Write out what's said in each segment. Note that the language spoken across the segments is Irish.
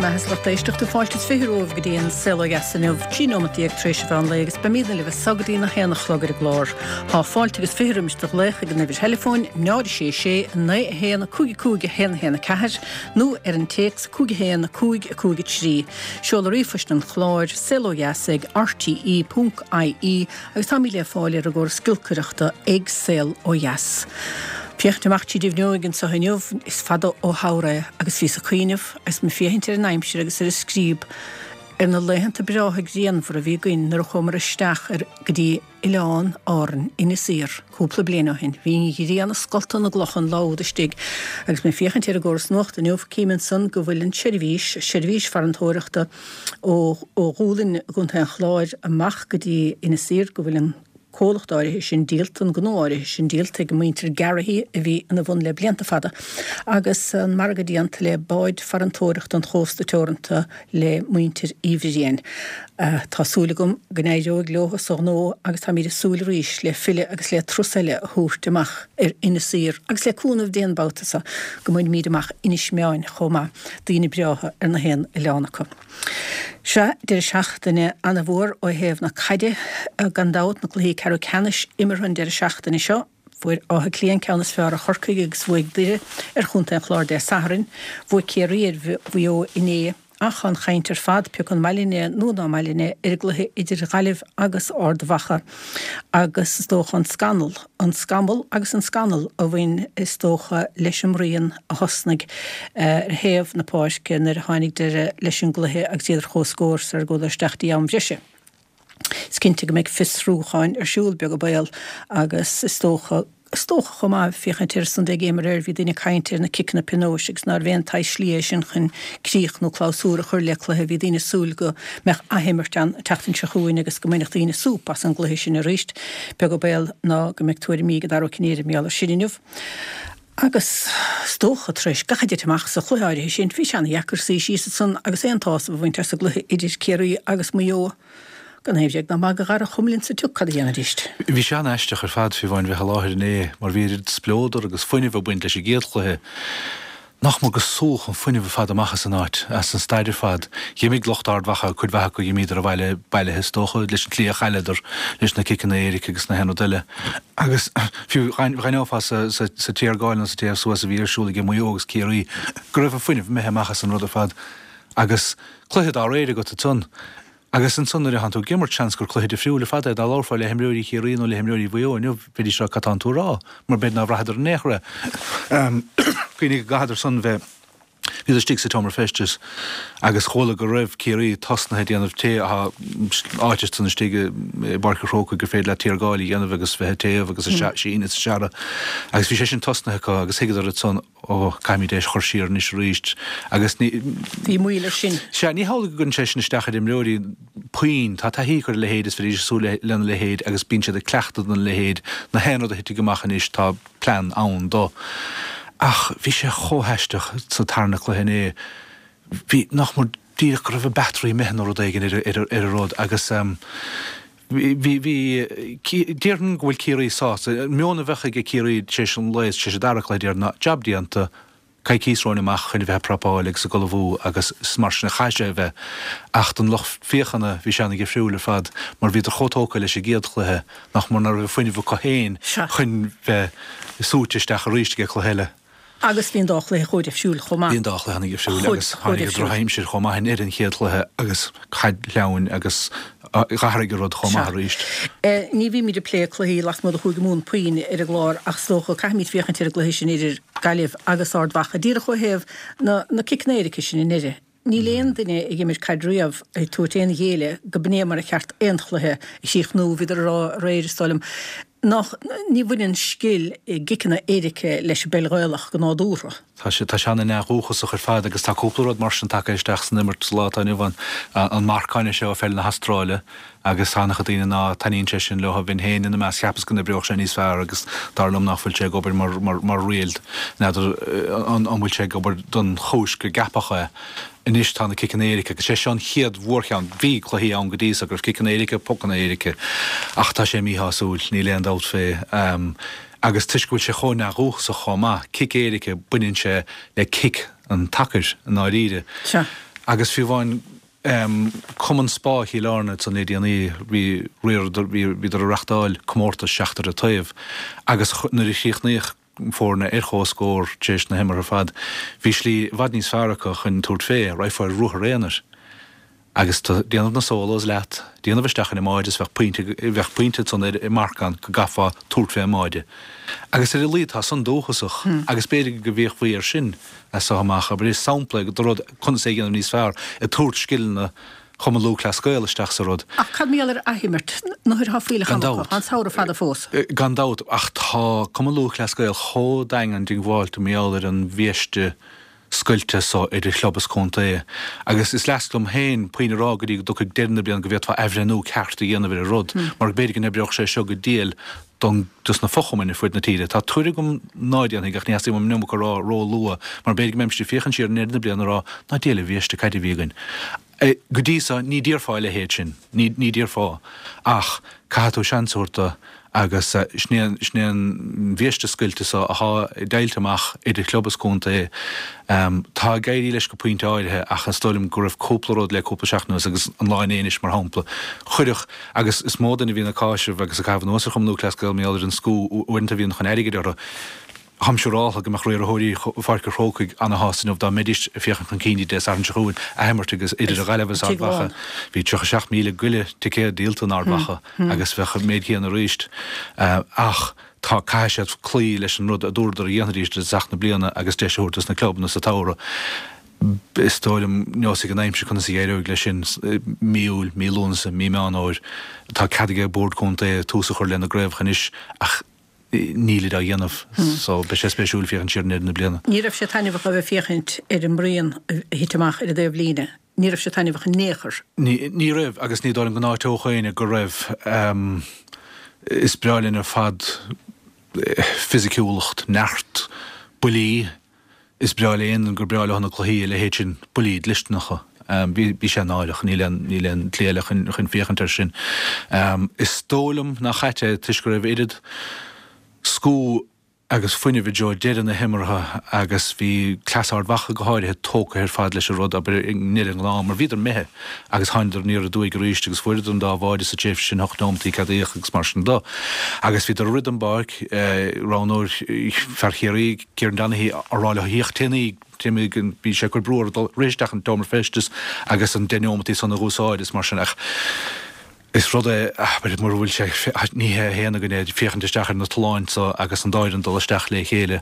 mbeatha is lucht éisteachta, fáilte is 20 romhaibh go dtí an Saol Ó Dheas inniu, 13 nóimeat tar éis an mheán lae agus beimidne libh as so go dtí a haon a chlog ar an gclár. Tá fáilte agus 20 roimis do ghlaoch ag an uimhir theileafóin 0 6 6 9 1 5 5 1 1 4 nó ar an téacs 5 1 5 5 3. Seoladh ríomhphoist an chláir, saolodheas ag rte ponc ie agus táimid le fáil ar an gcóras giolcaireachta ag Saol Ó Dheas. Féachaint amach tríd an bhfuinneoig anseo inniu, is fada ó shamhradh é agus bhíos ag cuimhneamh agus mé ag féachaint ar an aimsir agus ar an scríob ar na laethanta breátha grianmhara a bhí againn nuair a chuamar isteach ar go dtí Oileán Árann, Inis Oírr, cúpla bliain ó shin. Bhí an ghrian ag scoltadh na gcloch an lá úd istigh agus mé ag féachaint ar an gcóras nuachta inniu, cím ansan go bhfuil an tseirbhís, seirbhís farantóireachta ó Dhúlainn i gContae an Chláir amach go dtí Inis Oírr, go bhfuil an comhlacht áirithe sin díolta, an gnó áirithe sin díolta ag muintir Garrahy a bhí ina bhun le blianta fada, agus an margadh déanta le Báid Farantóireachta an Chósta Teoranta le muintir Uí Bhriain. Tá súil agam go n-éireoidh leo sa ghnó agus táimid ag súil arís le filleadh agus le turas eile a thabhairt amach ar Inis Oírr agus le cúnamh Dé an babhta seo go mbainfimid amach Inis Meáin chomh maith. Daoine breátha ar na haon oileán acu. Sea, deireadh seachtaine ana-mhór ó thaobh na caide, gan dabht, na cluichí ceathrú ceannais imeartha an deireadh seachtaine seo. Fuair Áth Cliath an ceann is fearr ar Chorcaigh agus bhuaigh Doire ar Chontae an Chláir Dé Sathairn. Bhuaigh Ciarraí ar Mhaigh Eo inné. Ach an chaint ar fad, pé acu an maith linn é nó ná maith linn é, ar an gcluiche idir Gaillimh agus Ard Mhacha agus is dócha an scannal, an scamall agus an scannal a bhain is dócha leis an mbruíon a thosnaigh ar thaobh na páirce nuair a tháinig deireadh leis an gcluiche agus iad ar comhscór sar a gcuadar isteach dtí am bhreise. Is cinnte go mbeidh fiosrúcháin ar siúl, beag an baol, agus is dócha, is dócha chomh maith, féachaint ar an Sunday Game aréir, bhí daoine ag caint ar na ciceanna pionóis agus nárbh aon tsaghas slí é sin chun críoch nó clabhsúr a chur le cluiche. Bhí daoine ag súil go mbeadh athimirt ann an tseachtain seo chugainn agus go mbainfeadh daoine súp as an gcluiche sin arís. Beag an baol ná go mbeidh tuairimí ag Dara Ó Cinnéide mar gheall air sin inniu. Agus is dócha, tar éis gach a dtit amach sa chluiche áirithe sin, bhí sé ana-dheacair suí síos ansan agus aon tsásamh a bhaint as an gcluiche idir Ciarraí agus Maigh Eo. Gan aon bhréag ná magadh, a Dhara, chuma linn sa tsioc cad a dhéanfaidíst. Bhí sé an-aisteach ar fad, fiú amháin, bheith i láthair inné, mar bhí oiread spleodar agus fuinneamh ag baint leis an gcéad chluiche. Nach mór gur súdh an fuinneamh ar fad amach as an áit, as an staid ar fad. Dh'imigh lucht Ard Mhacha, cuid mhaith acu, dh'imíodar abhaile bailithe is dócha, leis an tslí a chailleadar, leis na ciceanna éirice agus na haon rud eile. Agus fiú dh'aithneofá sa téargáil nó sa téamh suas a bhí ar siúl ag Maigh Eo agus Ciarraí go raibh an fuinneamh imithe amach as an rud ar fad. Agus cluiche dá réir agat ansan. Agus ansan nuair a thánn tú ag imirt, seans gur cluiche difriúil ar fad é. Dá labharfá le himreoirí Chiarraí nó le himreoirí Mhaigh Eo inniu, bheidís ag rá cad tánn tú a rá? Mar b'fhéidir nár bhraitheadar in aon chor é. Cuimhnigh go gcaitheadar san bheith, bhíodar istigh sa tseomra feistis agus chuala go raibh Ciarraí tosnaithe ag déanamh tae, tá áit ansan istigh i bPáirc an Chrócaigh gur féidir leat téargáil a dhéanamh agus bheith ag téamh agus ag síneadh is ag searradh agus bhí sé sin tosnaithe acu agus thuigeadar ansan, Ó, caithfimid é a chur siar anois arís agus ní. Bhí moill air sin. Sea, ní hamhlaidh go gcuireann sé sin isteach ar imreoirí puinn. Tá taithí acu ar a leithéid, is bhídís ag súil lena leithéid agus bíonn siad ag cleachtadh dona leithéid. Na haon rud a thitfidh amach anois, tá plean ann dó. Ach bhí sé chomh haisteach sa tarna cluiche inné. Bhí, nach mór díreach go raibh a battery imithe nó rud éigin ar an rud agus. Bhí, bhí, déarfainn go bhfuil Ciarraí sásta. An meon a bheadh ag Ciarraí tar éis an lae, tar éis an dara cluiche, déarfainn, ná jab déanta, coicíos romhainn amach chun a bheith ag prapáil agus ag ullmhú agus is mar sin a chaithfidh sé a bheith. Ach don lucht féachana, bhí sé ana-dhifriúil ar fad mar bhíodar chomh tógtha leis an gcéad chluiche nach mór ná raibh an fuinneamh acu féin chun bheith súite isteach arís ag an cluiche eile. Agus bhí an dá chluiche chomh difriúil chomh maith. Bhí an dá chluiche ana-dhifriúil agus tháinig an drochaimsir chomh maith i ndeireadh an chéad chluiche agus caid shleamhain agus d'athraigh an rud chomh maith arís. Ní bhímid ag plé cluichí lasmuigh de Chúige Mumhan puinn ar an gclár ach is dócha caithfimid féachaint ar an gcluiche sin idir Gaillimh agus Ard Mhacha díreach ó thaobh na ciceanna éirice sin i ndeireadh. Níl aon duine ag imirt caid riamh ag tabhairt aon ghéilleadh go b'in é mar a cheart aon chluiche a chríochnú. Bhíodar ag rá aréir, is dóigh liom, nach, ní bhaineann scil i gciceanna éirice leis an bpeil Ghaelach go nádúrtha. Tá sé, tá sé ana-neamhdhúchasach ar fad agus tá cúpla rud mar sin tagtha isteach san imirt sa lá atá inniu ann. An marcáin seo ó pheil na hAstráile agus tá an-chuid daoine ná taitníonn sé sin leo, bheinn féin ina measc, cheapas go n-oibreodh sé níos fearr agus dar liom nach bhfuil sé ag obair mar, mar, mar riail. N'fheadar an, an bhfuil sé ag obair don chúis gur ceapadh é. Anois tá na ciceanna éirice agus sé seo an chéad mhórcheann. Bhí cluichí ann go dtí so go raibh ciceanna éirice, pocanna éirice ach tá sé míshásúil, níl aon dabht fé. Agus toisc go bhfuil sé chomh neamhdhúchasach chomh maith, cic éirice, baineann sé le cic an tsacair i ndáiríre. Sea. Agus fiú amháin Cumann Spá Chill Airne ansan le déanaí, bhí, bhíodar ag reachtáil comórtas seachtar an taobh agus nuair a chríochnaíodh foirne ar chomhscór tar éis na himeartha ar fad, bhí slí i bhfad níos fearr acu chun tabhairt fé, raghfá ar ruathar aonair agus déanamh na solos leat, déanamh isteach ar an mbáide is bheadh pointe, bheadh pointe ansan ar an marcán go gcaithfeá tabhairt fé an mbáide. Agus ar a laghad tá san dúchasach agus b'fhéidir go bhféachfaí air sin as so amach, abair, is sampla é de rud conas é a dhéanamh níos fearr, ag tabhairt scileanna Chumann Lúthchleas Gael isteach sa rud. Ach cad mar gheall ar athimirt? Nuair atá fuílleach Gan ama acu, dabht. tá an samhradh fada fós. Gan dabht, ach tá Cumann Lúthchleas Gael chomh daingean diongbháilte mar gheall ar an bhiaiste scoilte so idir chlub is contae agus is leasc liom féin puinn a rá go dtí go dtiocfaidh deireadh na bliana go bhféadfá athbhreithniú ceart a dhéanamh ar an rud mar b'fhéidir go n-oibreodh sé seo go diail don dos na fochumainn ar fuaid na tíre. Tá tuairim agam ná déanfaidh ach ní theastaíonn uaim an iomarca a rá ró-luath mar b'fhéidir go mbeimis ag féachaint siar i ndeireadh na bliana ag rá ná diail an bhiaiste caide a bhí againn. Go dtí so ní déarfá a leithéid sin, ní ní déarfá ach caithfidh tú seans a thabhairt do agus sin é sin é an bhiaiste scoilte so athá deighilte amach idir chlub is contae. Tá ag éirí leis go pointe áirithe ach is dóigh liom go raibh cúpla rud le cúpla seachtain anuas agus an lá inné anois mar shampla chuirfeadh Agus is mó duine a bhíonn ag cáiseamh agus ag caitheamh anuas ar Chumann Lúthchleas Gael mar gheall ar an scú uaireanta a bhíonn chun airgid orthu. Táim siúráltha go mbeadh riarthóirí Pháirc an Chrócaigh ana-shásta inniu dá mbeidís ag féachaint chun cinn Dé Sathairn seo chugainn, athimirt agus idir an Ghaillimh agus Ard Mhacha. Bhí 37,000 go leith ticéad díolta in Ard Mhacha agus bheadh an méid céanna arís. Ach tá, caithfidh siad cloí leis an rud a dúradar a dhéanfaidís i dtosach na bliana agus deis a thabhairt dos na clubanna sa tsamhradh. Is dóigh liom, neosfaidh an aimsir conas a éireoidh leis sin, mí Iúil, mí Lúnasa, mí Meán Fhómhair. Tá cead ag Bord Contae tús a chur lena gcraobhacha anois ach nílid á dhéanamh so beidh sé spéisiúil féachaint siar i ndeireadh na bliana. Ní raibh sé taitneamhach a bheith ag féachaint ar an mbraon a thit amach ar an dtaobh líne. Ní raibh sé taitneamhach in aon chor. Ní raibh agus ní dóigh liom go n-áiteodh éinne go raibh. Is breá linn ar fad fisiciúlacht, neart, buillí. Is breá le aon duine gur breá leo na cluichí, a leithéid sin, buillí dlisteanacha. Bhí sé náireach, níl aon, níl aon tslí eile chun, chun féachaint air sin. Is dóigh liom nach ait é toisc go raibh oiread scú agus fuinnimh i dtreo deireadh na himeartha agus bhí cleas Ard Mhacha go háirithe tógtha ar fad leis an rud, abair, i ndeireadh an ghnáth, mar bhíodar imithe agus thánadar aniar aduaidh arís agus fuaireadar an dá bháide sa tréimhse sin, hocht neomataí ceadaíodh agus mar sin do. Agus bhíodar ag rith den bpáirc, roghnóir fear Chiarraí, Kieran Donaghy, á rá leo theacht téimíg, téimíg, bhí sé ag cur brú orthu dul rith isteach an tseomra feistis agus an deich neomataí san a dh'úsáid is mar sin ach is rud é, abair, mura bhfuil sé, ní hé a haon againn é, féachaint isteach ar na tolláin so agus an dá fhoireann dul isteach le chéile.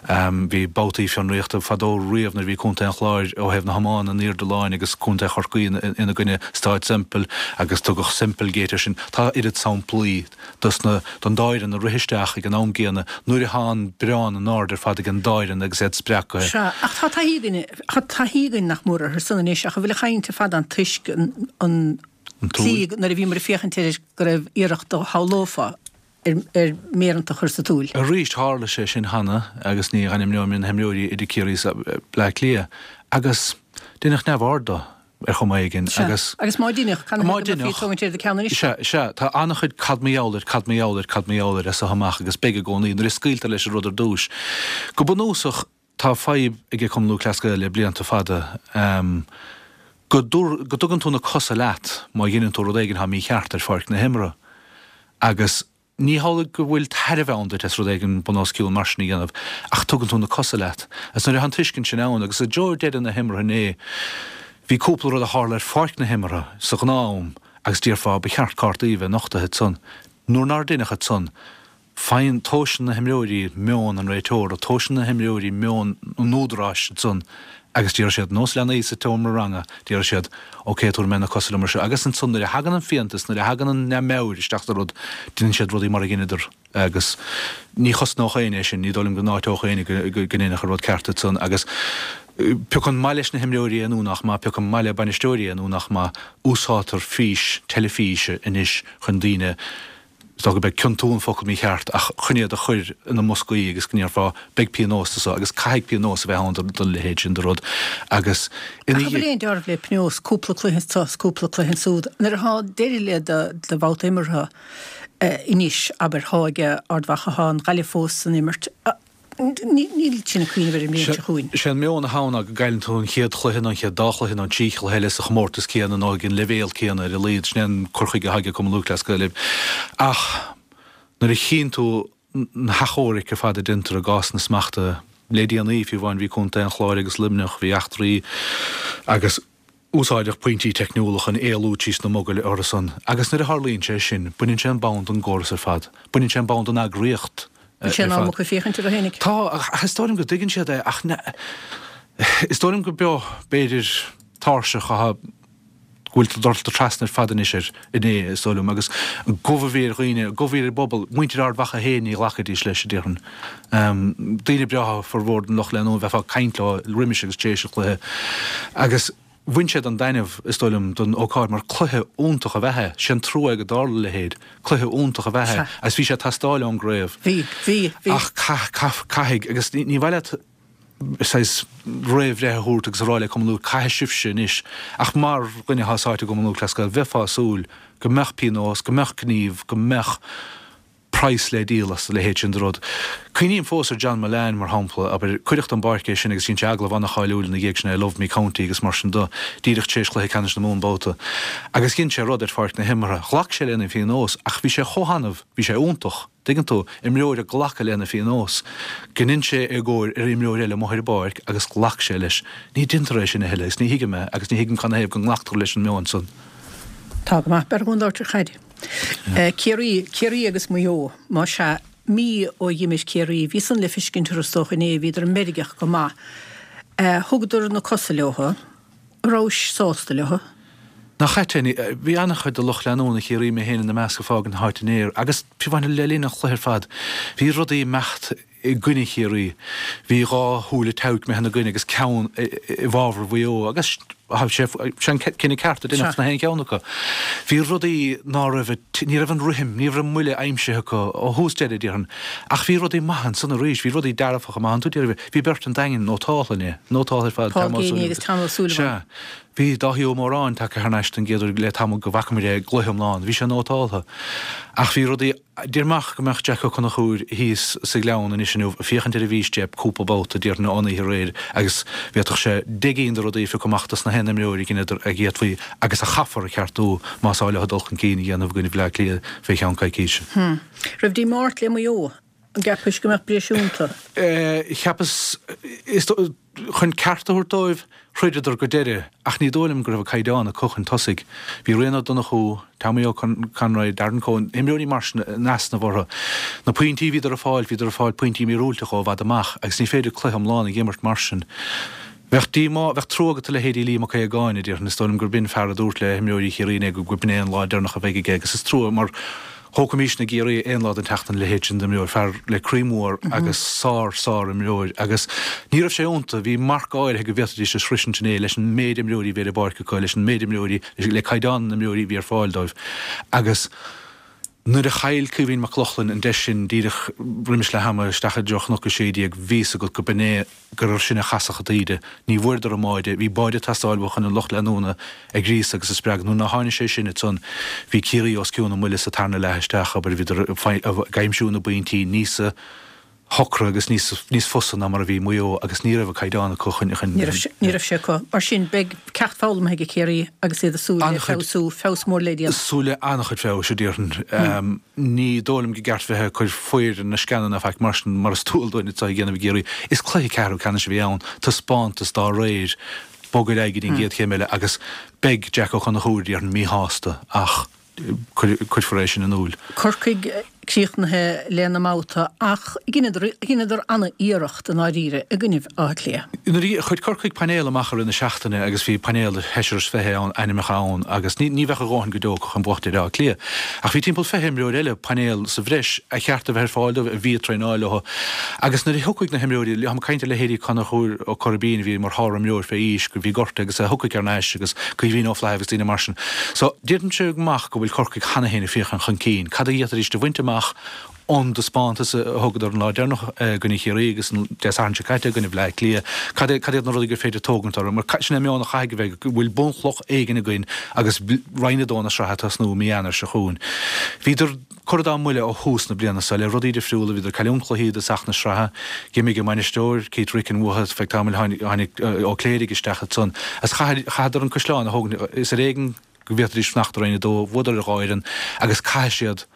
Bhí babhtaí fionraíochta fadó riamh nuair a bhí Contae an Chláir ó thaobh na hiomána in airde láin agus Contae Chorcaí ina gcoinne Stáid Semple agus tugadh Semplegate air sin. Tá oiread samplaí. dos na, don dá fhoireann a rith isteach ag an am gcéanna nuair atá an braon in airde ar fad ag an dá fhoireann agus iad spreagtha. Sea, ach tá taithí againn, tá taithí againn nach mór orthu san anois ach an bhfuil an chaint ar fad ann toisc an, an tslí nuair a bhíomar ag féachaint air go raibh iarracht a shamhlófá ar, ar méireanta a chur sa tsúil. Arís, tharla sé sin cheana agus ní hainmneoidh mé na himreoirí idir Ciarraí is Bleá Cliath agus deineadh neamhaird de. ar chuma éigin agus. Sea, agus má deineadh, cad ina thaobh go mbeifí ag tógaint ar do cheann anois? Sea, sea, tá an-chuid cad mar gheall air, cad mar gheall air, cad mar gheall air as so amach agus beidh i gcónaí nuair a scaoiltear leis an rud ar dtúis. Go bunúsach, tá fadhb ag Cumann Lúthchleas Gael le blianta fada go dtugann tú na cosa leat má dheineann tú rud éigin atá mícheart ar pháirc na himeartha agus Ní hamhlaidh go bhfuil tairbhe ann duit as rud éigin bun os cionn mar sin a dhéanamh, ach tugann tú na cosa leat. Agus nuair atá an tuiscint sin ann, agus i dtreo deireadh na himeartha inné, bhí cúpla rud a tharla ar pháirc na himeartha sa ghnáth-am agus déarfá ba cheart cártaí a bheith nochtaithe ansan. Nuair nár deineadh ansan, faigheann, tomhaiseann na himreoirí meon an réiteora, tomhaiseann na himreoirí meon an údaráis ansan Agus déarfaidh siad, nós leanaí sa tseomra ranga, déarfaidh siad, ok, tabharfaidh mé na cosa liom ar seo. Agus ansan nuair a thagann an fiántas, nuair a thagann an neamh-mheabhair isteach sa rud, déanann siad rudaí mar a dheineadar. Agus ní chosnódh éinne é sin, ní dóigh liom go n-áiteodh éinne go ndeineadh an rud ceart ansan. Agus piocann maith leis na himreoirí é nó nach maith, piocann maith le bainisteoirí é nó nach maith, úsáidtear fís teilifíse anois chun daoine, Is dócha gurb é ciontú an focal mícheart ach chun iad a chur ina mboscaí agus go ndéarfá beidh pionós do so agus caithfidh pionós a bheith ann don leithéid sin de rud agus ina Ach an bhfuil aon dealramh le pionós, cúpla cluiche anso is cúpla cluiche ansúd? Nuair atá deireadh le do bhabhta imeartha anois, abair, thá ag Ard Mhacha, thá an Ghaillimh fós san imirt. Níl sin ag cuimhneamh ar an mbliain seo chugainn. Sé an meon atá ann ná go gcailleann tú an chéad chluiche nó an chéad dá chluiche nó an trí chluiche eile sa chomórtas céanna nó ag an leibhéal céanna ar a laghad. Sin é an cur chuige atá ag Cumann Lúthchleas Gael. Ach nuair a chíonn tú na hachomhairc ar fad a déantar i gcásanna smachta le déanaí, fiú amháin bhí Contae an Chláir agus Luimneach, bhí eachtraí agus úsáideadh pointí teicniúla chun éalú tríos na mogaill orthu san agus nuair a tharlaíonn sé sin, baineann sé an bonn den gcóras ar fad, baineann sé an bonn den eagraíocht ar fad. Bhfuil sé in am acu féachaint orthu fhéinig? Tá, ach is dóigh liom go dtuigeann siad é ach is dóigh liom go beo, b'fhéidir, tairseach atá go bhfuil dulta trasna ar fad anois air inné, is dóigh liom, agus an gomh a bhí ar dhaoine, an gomh a bhí ar an bpobal, muintir Ard Mhacha féin, ní ghlacfaidís leis, a déarfainn. Daoine breátha formhór den lucht leanúna, bheifeá ag caint leo roimis agus tar éis an chluiche. Agus bhain siad an taitneamh, is dóigh liom, den ócáid mar cluiche iontach ab ea é. Sé an trua é go dtarla a leithéid. Cluiche iontach ab ea é agus bhí sé ag teastáil ón gcraobh. Bhí, bhí, bhí. Ach caithfidh, agus ní mhaith leat, saghas réamhbhreith a thabhairt agus a rá le Cumann Lúth, caithfidh sibhse anois. Ach mar dhuine atá sáite i gCumann Lúthchleas Gael, bheifeá ag súil go mbeadh pionós, go mbeadh gníomh, go mbeadh praghas le díol as a leithéid sin de rud. Cuimhním fós ar John Mullane, mar shampla, abair, cuireadh den bpáirc é sin agus dhein sé agallamh an-cháiliúil ina dhiaidh sin é Love Me County agus mar sin de, díreach tar éis chluiche ceannais na Mumhan babhta. Agus dhein sé rud ar pháirc na himeartha. Ghlac sé lena phionós ach bhí sé chomh hannamh, bhí sé iontach. Tuigeann tú, imreoir ag glacadh lena phionós, go ndein sé éagóir ar imreoir eile amuigh ar an bpáirc agus ghlac sé leis. Ní deintear é sin a thuilleadh agus ní thuigim é agus ní thuigim canathaobh go nglactar leis an meon san. Tá go maith. B'fhearr dhúinn labhairt ar chaid. Ciarraí, Ciarraí agus Maigh Eo, más ea, mí ó dh'imir Ciarraí, bhí san le fiscint orthu is dócha inné, bhíodar meirgeach go maith. Thugadar na cosa leothu. Rabhais sásta leo? Nach ait é, bhí an-chuid de lucht leanúna Chiarraí, mé féin ina measc, ag fágaint na háite inné agus fiú amháin le linn an chluiche ar fad, bhí rudaí ag imeacht i gcoinne Chiarraí. Bhí dhá shúile toghc imithe ina gcoinne agus ceann i bhfabhar Mhaigh Eo agus sé an cinneadh ceart a deineadh sna haon cheann acu. Bhí rudaí ná raibh, ní raibh an rithim, ní raibh an mbuille aimsithe acu ó thús deireadh, déarfainn. Ach bhí rudaí maithe ansan arís, bhí rudaí dearfacha maith iontu, bhí beirt an Daingin nótáltha inné, nótáltha ar fad, Paul Geaney agus Tom O'Sullivan. Sea. Bhí Dáithí Ó Móráin tagtha thar n-ais don gcéad uair le tamall go bhfaca muid é i gcluiche iomlán. Bhí sé nótáltha. Ach bhí rudaí, déarfainn amach go mbeadh Jack Ó Conchúir thíos sa Ghleann anois inniu ag féachaint ar an bhfístéip cúpla babhta déarfainn ón oíche aréir agus bhféadfadh sé deich gcinn de rudaí a phiocadh amach dos na haon imreoir a dheineadar a d'fhéadfaí agus a chaithfear a cheartú más áil leo dul chun cinn a dhéanamh i gcoinne Bhaile Átha Cliath fé cheann coicíse. Raibh díomá ort le Maigh Eo? An gceapais go mbeadh breis iontu? Cheapas, is dóigh, chun ceart a thabhairt dóibh, throideadar go deireadh ach ní dóigh liom go raibh an caighdeán acu chun tosaigh. Bhí Rian Ó Donnchú, Tommy Ó Conroy, Darren Coen, imreoirí mar sin in easnamh orthu. Na pointí a bhíodar ag fáil, bhíodar ag fáil pointí míorúilteacha ó i bhfad amach agus ní féidir cluiche iomlán a dh'imirt mar sin. Bheadh díomá, bheadh trua agat do leithéidí Liam Mac Aogáin, a déarfainn. Is dóigh liom gurb in fear a dúirt le himreoirí Chiarraí inné go b'in é an lá deireanach a bheidh aige agus is trua mar thógfaimísne i gCiarraí aon lá den tseachtain a leithéid sin d'imreoir, fear le croí mór agus sár, sár imreoir agus ní raibh sé iontu, bhí marc áirithe go bhféadfaidís a shroisint inné leis an méid imreoirí a bhí ar an bpáirc acu, leis an méid imreoirí, le caighdeán na n-imreoirí a bhí ar fáil dóibh agus nuair a chaill Caoimhín Mac Lochlainn an deis sin díreach roimis leath ama isteach i dtreo Chnoc 16, bhí fhios agat go b'in é gur air sin a chasfadh an taoide. Ní bhfuaireadar an mbáide. Bhí báide ag teastáil uathu chun an lucht leanúna a ghríosadh agus a spreagadh. Nuair nár tháinig sé sin ansan bhí Ciarraí os cionn a mbuille sa tarna leath isteach, abair, bhíodar ag aimsiú na bpointí níosa shocra agus níos níos fusa ná mar a bhí Maigh Eo agus ní raibh an caighdeán acu chun chun Ní raibh ní raibh sé acu. Mar sin, beidh ceacht foghlamtha ag Ciarraí agus iad ag súil le feabhsú, feabhas mór le déanamh. Súil le an-chuid feabhais, a déarfainn. Ní dóigh liom go gceart bheith ag cur faobhar ar na sceana ná faic mar sin, mar is dual dúinn atá a dhéanamh i gCiarraí. Is cluiche ceathrú ceannais a bhí ann, taispeántas dá réir, bog ar aghaidh go dtí an gcéad chéim eile agus beidh Jack Ó Conchúir, déarfainn, míshásta ach cuirfear é sin in iúl. Corcaigh críochnaithe lena mbabhta ach dheineadar an-iarracht i ndáiríre i gcoinnibh Átha Cliath. Nuair a chuir Corcaigh painéal amach i rith na seachtaine agus bhí painéal de sheisear is 20 ann, ainmneacha ann agus ní bheadh a dhóthain go deo acu chun buachtaint ar Áth Cliath. Ach bhí timpeall 20 imreoir eile, painéal sa bhreis, a cheart a bheith ar fáil dóibh, a bhí ag traenáil leo. Agus nuair a thiocfaidh na himreoirí, táim ag caint ar leithéidí Conchúr Ó Coirbín a bhí mar shárimreoir fé aois, go bhí gortaithe agus a thiocfaidh thar n-ais agus Caoimhín Ó Flathaibh agus daoine mar sin. So, déarfainnse amach go bhfuil Corcaigh cheana féin ag féachaint chun cinn. Cad a d'fhéadfaidís a bhaint amach ón dtaispeántas a thugadar an lá deireanach i gcoinne Chiarraí agus an Dé Sathairn seo caite i gcoinne Bhaile Átha Cliath? Cad cad iad na rudaí gur féidir tógaint orthu? Mar sin é an meon a chaithfidh a bheith, go bhfuil bunchloch éigin againn agus Roinn 2 na sraithe ag tosnú i mí Eanáir seo chugainn. Bhíodar. Curtha dá mbuille ó thús na bliana seo le rudaí difriúla, bhíodar ag cailliúint cluichí i dtosach na sraithe, d'imigh a mbainisteoir, Keith Ricken uathu feadh tamaill, tháinig Ó Cléirigh isteach ansan agus chaitheadar an caisleán a thógaint, is ar éigean go bhféadfaidís fanacht i Roinn 2, bhuadar ar dhá fhoireann agus caithfidh siad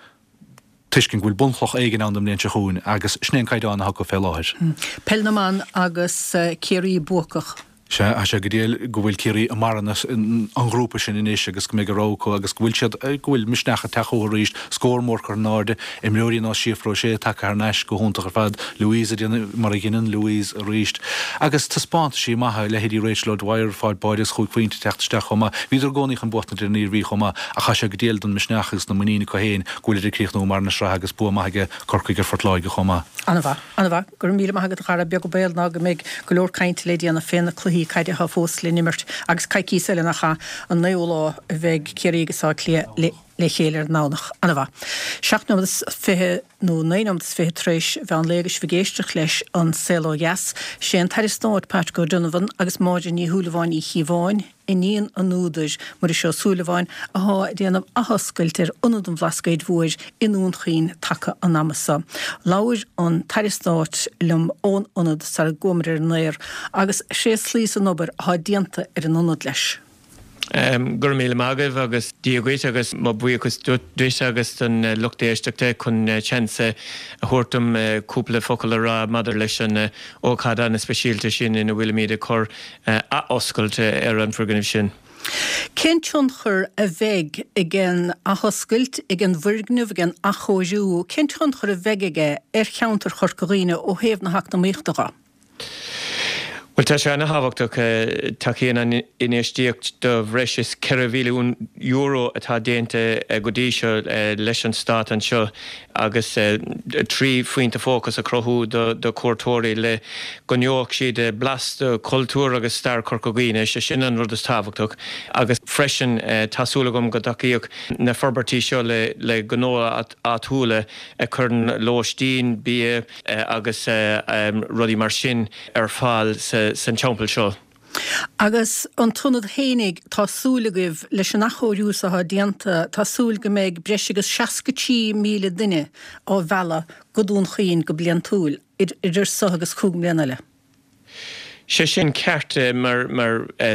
tuiscint go bhfuil bunchloch éigin ann don mbliain seo chugainn agus sin é an caighdeán atá acu fé láthair. Peil na mBan agus Ciarraí buacach. Sea, tá sé go diail go bhfuil Ciarraí i mbarra an ghrúpa sin anois agus go mbeidh a rogha acu agus go bhfuil siad, go bhfuil misneach ag teacht chucu arís, scór mór curtha in airde, imreoirí ar nós Síofra O'Shea tagtha thar n-ais go hiontach ar fad, Louise ag déanamh mar a dheineann Louise arís agus taispeántaisí maithe, leithéidí Rachel O'Dwyer ag fáil báide agus chúig phointe ag teacht isteach chomh maith. Bhíodar i gcónaí chun buachtaint ar an Iarmhí chomh maith ach tá sé go diail don misneach agus na muinín acu féin go bhfuilid ag críochnú i mbarra na sraithe agus bua maith aige Corcaigh ar Phort Láirge chomh maith. An-mhaith. An-mhaith. Go raibh míle maith agat a Dhara. Beag an baol ná go mbeidh go leor cainte le déanamh fé na cluichí caide atá fós le n-imirt agus coicíos eile nach ea, an naoú lá a bheidh Ciarraí agus Áth Cliath le chéile ar an nDomhnach. An-mhaith. 7 nóiméad is 20 nó 9 nóiméad is 20 tar éis mheán lae agus sibh ag éisteacht leis An Saol Ó Dheas. Sé an tAire Stáit Patrick O'Donovan agus Máire Ní Shúilleabháin Uí Chíobháin, iníon an údair, Muiris Ó Súilleabháin, athá ag déanamh athoscailt ar Ionad an Bhlascaoid Mhóir i nDún Chaoin taca an ama so. Labhair an tAire Stáit liom ón Ionad sara gcuamar ar an aer agus thréaslaíos an obair athá déanta ar an Ionad leis. Go raibh míle maith agaibh agus Dia dhuit agus mo bhuíochas duit agus don lucht éisteachta chun seans a thabhairt dom cúpla focal a rá maidir leis an ócáid an-speisialta sin ina bhfuilimid ag cur athoscailt ar an bhfoirgneamh sin. Cén tionchar a bheidh ag an athoscailt, ag an bhfoirgneamh, ag an athchóiriú, cén tionchar a bheidh aige ar cheantar Chorca Dhuibhne ó thaobh na heacnamaíochta dhe? Bhuel, tá sé ana-thábhachtach. Tacaíonn an infheistíocht de bhreis is €4 mhilliún atá déanta go dtí seo leis an Stát anseo agus 3 phointe fócais a chruthú do chuairteoirí le go ngeobhadh siad blas de chultúr agus stair Chorca Dhuibhne, sé sin an rud is tábhachtach. Agus freisin tá súil agam go dtacaíodh na forbairtí seo le gnó áitiúla a chuireann lóistín, bia agus rudaí mar sin ar fáil san teampall seo. Agus an t-ionad fhéinig, tá súil agaibh, leis an athchóiriú so atá déanta, tá súil go mbeidh breis agus 63,000 duine á mhealladh go Dún Chaoin go bliantúil, idir so agus 5 mbliana eile. Sé sin ceart, mar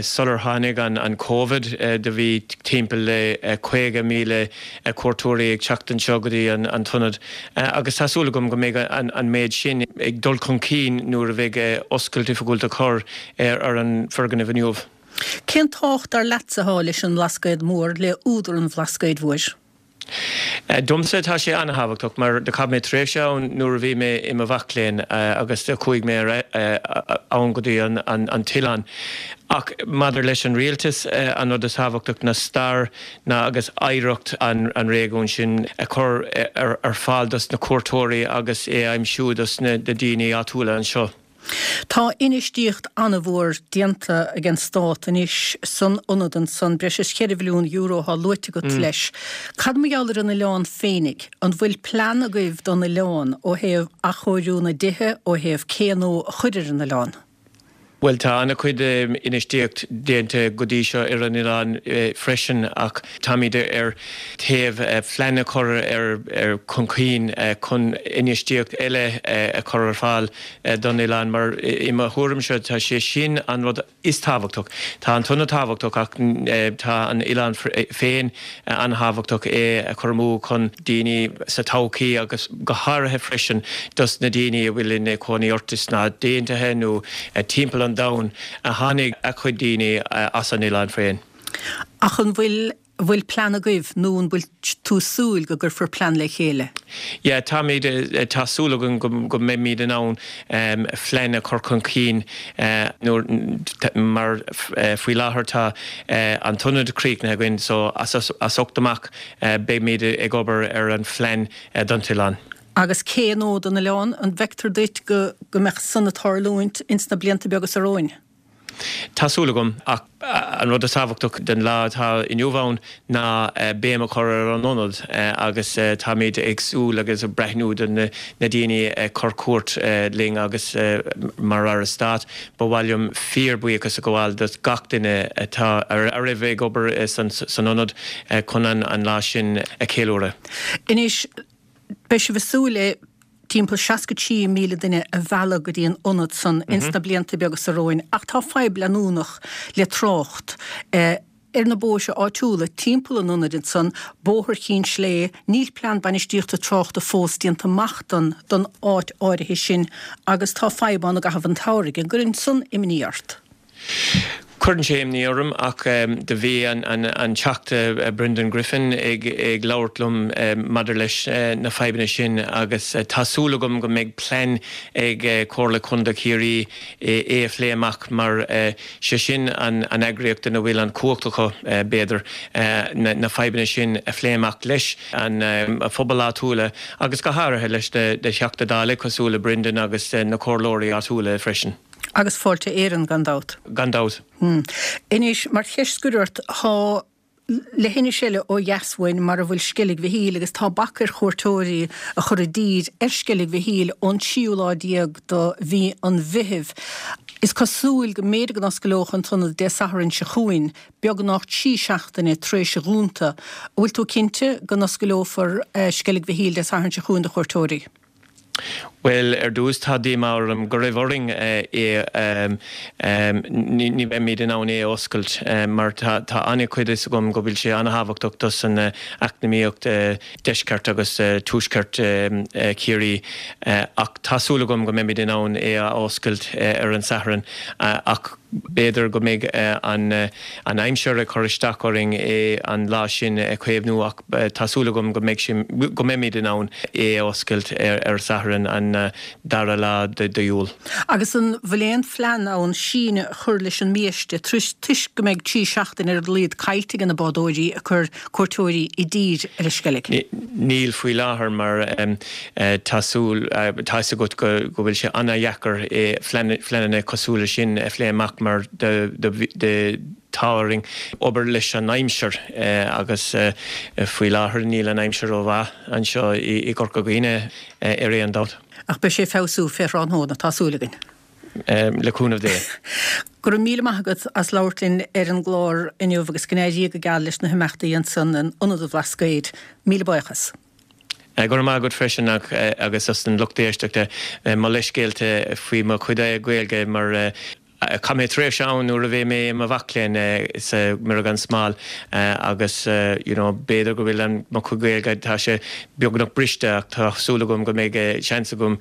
sular tháinig an Covid do bhí timpeall le 50,000 cuairteoirí ag teacht anseo go dtí an t-ionad agus tá súil agam go mbeidh an méid sin ag dul chun cinn nuair a bheidh oscailt oifigiúil á cur ar an foirgneamh inniu. Cén tábhacht dar leatsa atá leis an mBlascaod Mór, le údar an Bhlascaoid Mhóir? Domsa tá sé an-thábhachtach mar do chaith mé tréimhse ann nuair a bhí mé i mo mhac léinn agus do chuaigh mé ann go dtí an t-oileán. Ach maidir leis an rialtas, an rud is tábhachtach ná stair na agus oidhreacht an réigiúin sin a chur ar fáil dos na cuairteoirí agus é a aimsiú dos na daoine áitiúla anseo. Tá infheistíocht an-mhór déanta ag an Stát anois san ionad ansan, breis is €4 mhilliún athá luaite agat leis. Cad mar gheall ar an oileán féinig? An bhfuil plean agaibh don oileán ó thaobh athchóiriú na dtithe, ó thaobh cé nua a chur ar an oileán? Bhuel, tá an-chuid infheistíocht déanta go dtí seo ar an oileán freisin ach táimid ar thaobh phlean a chur ar chun cinn chun infheistíocht eile a chur ar fáil don oileán mar i mo thuairimse tá sé sin an rud is tábhachtach. Tá an t-ionad tábhachtach ach tá an oileán féin an-thábhachtach é a chur amú chun daoine sa todhchaí agus go háirithe freisin dos na daoine a bhfuil ina cónaí orthu sna Stáit Aontaithe nó timpeall an domhain a tháinig a chuid daoine as an oileán féin. Ach an bhfuil bhfuil plean agaibh nó an bhfuil tú súil go gcuirfear plean le chéile? Yeah, táimid, tá súil againn go mbeimid in ann phlean a chur chun cinn nuair, mar faoi láthair tá an t-ionad críochnaithe againn so as seo amach beimid ag obair ar an phlean don t-oileán. Agus cé nua don oileán, an bhfeictear duit go go mbeadh san ag tarlúint ins na blianta beaga so romhainn? Tá súil agam, ach an rud is tábhachtach den lá atá inniu ann ná béim a chur ar an ionad agus táimid ag súil agus ag breathnú do na daoine ag cur cuairt linn agus mar Aire Stáit ba mhaith liom fíor buíochas a ghabháil do gach duine atá a raibh ag obair san ionad chun an lá sin a cheiliúradh. Anois. Beidh sibh ag súil le timpeall 63,000 duine a mhealladh go dtí an ionad san ins na blianta beaga seo romhainn ach tá fadhb leanúnach le trácht ar na bóithre áitiúla timpeall an ionaid ansan, Bóthar Chinn Slé, níl plean bainistíochta tráchta fós déanta amach don don áit áirithe sin agus tá fadhb ann i gcaitheamh an tsamhraidh. An gcuireann san imní ort? Cuireann sé imní orm ach do bhí an Teachta Brendan Griffin ag labhairt liom maidir leis na fadhbanna sin agus tá súil agam go mbeidh plean ag Comhairle Contae Chiarraí é a phlé amach mar sé sin an eagraíocht ina bhfuil an chumhacht acu b'fhéidir na fadhbanna sin a phlé amach leis an phobal áitiúla agus go háirithe leis na Teachtaí Dála cosúil le Brendan agus na comhairleoirí áitiúla freisin. Agus Fáilte Éireann, gan dabht. Gan dabht. Anois, mar cheist scoir ort, tá leithinis eile ó dheas uainn mar a bhfuil Sceilg Mhichíl agus tá bac ar chuairteoirí a chur i dtír ar Sceilg Mhichíl ón tríú lá déag de mhí an Mheithimh. Is cosúil go mb'fhéidir go n-oscaileodh an t-ionad Dé Sathairn seo chugainn, beagnach 3 seachtaine tar éis a dhúnta. An bhfuil tú cinnte go n-oscaileofar Sceilg Mhichíl Dé Sathairn seo chugainn do chuairteoirí? Bhuel, ar dtús, tá díomá orm go raibh orainn é, ní bheimid in ann é a oscailt mar tá an-chuid fhios agam go bhfuil sé an-thábhachtach dos an eacnamaíocht deisceart agus tuaisceart Chiarraí ach tá súil agam go mbeimid in ann é a oscailt ar an Satharn ach b'fhéidir go mbeidh an aimsir ag cur isteach orainn é an lá sin a chaomhnú ach Tá súil agam go mbeidh sé, go mbeimid in ann é a oscailt ar Satharn an dara lá d'Iúil. Agus an bhfuil aon phlean ann síneadh a chur leis an mbiaiste toisc go mbeidh 3 seachtaine ar a laghad caillte ag na bádóirí ag cur cuairteoirí i dtír ar an Sceilg? Níl faoi láthair mar tá súil, tá fhios agat go bhfuil sé an-dheacair pleananna cosúil leis sin a phlé amach mar do Tá orainn obair leis an aimsir agus faoi láthair níl an aimsir rómhaith anseo i gCorca Dhuibhne ar aon dabht. Ach beidh sé ag feabhsú fé thráthnóna, tá súil againn. Le cúnamh Dé. Go raibh míle maith agat as labhairt linn ar an gclár inniu agus go n-éirí go geal leis na himeachtaí ansan in Ionad an Bhlascaoid. Míle buíochas. Go raibh maith agat freisin agus as an lucht éisteachta mo leithscéalta faoi mo chuid Gaeilge mar Chaith mé tréimhse ann nuair a bhí mé i mo mhac léinn sa Mhuire gan Smál agus you know b'fhéidir go bhfuil an mo chuid Gaeilge tá sé beagnach briste ach tá súil agam go mbeidh seans agam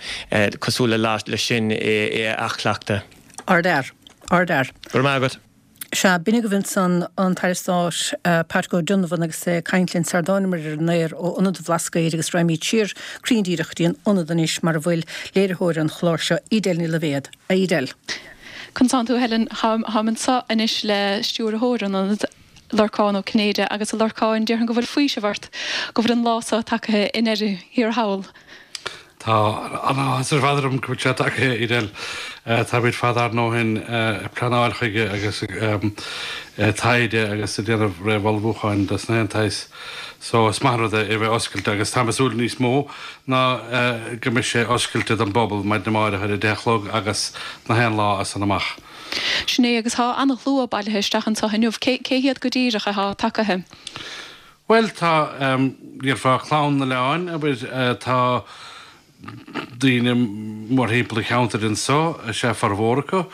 cosúil le lá leis sin é a athchleachtadh. Ardfhear. Ardfhear. Go raibh maith agat. Sea, b'in agaibh ansan an tAire Stáit Patrick O'Donovan agus é ag caint linn sar dtánamar ar an aer ó Ionad an Bhlascaoid agus raghaimid siar cruinn díreach go dtí an Ionad anois mar a bhfuil léiritheoir an chláir seo, Edel Ní Loibhéad. A Edel. Conas tánn tú, a Helen? Táim anseo anois le stiúrthóir an Ionaid, Lorcán Ó Cinnéide, agus a Lorcáin, déarfainn go bhfuil faoiseamh ort go bhfuil an lá seo tagaithe i ndeireadh thiar thall. Tá an-áthas ar fad orm go bhfuil sé tagaithe, Edel. Táimid fada ár ndóthain ag pleanáil chuige agus ag taighde agus ag déanamh réamhullmhúcháin dos na haon tsaghas. So is maith an rud é a bheith oscailte agus táim ag súil níos mó ná go mbeidh sé oscailte don bpobal maidin amáireach ar a 10 a chlog agus na haon lá as san amach. Sin é, agus tá an-shlua bailithe isteach anseo inniu. Cé hiad go díreach atá tagaithe? Bhuel, tá, déarfá, clann an oileáin, abair, tá daoine mórthimpeall an cheantair anso, is ea formhór acu,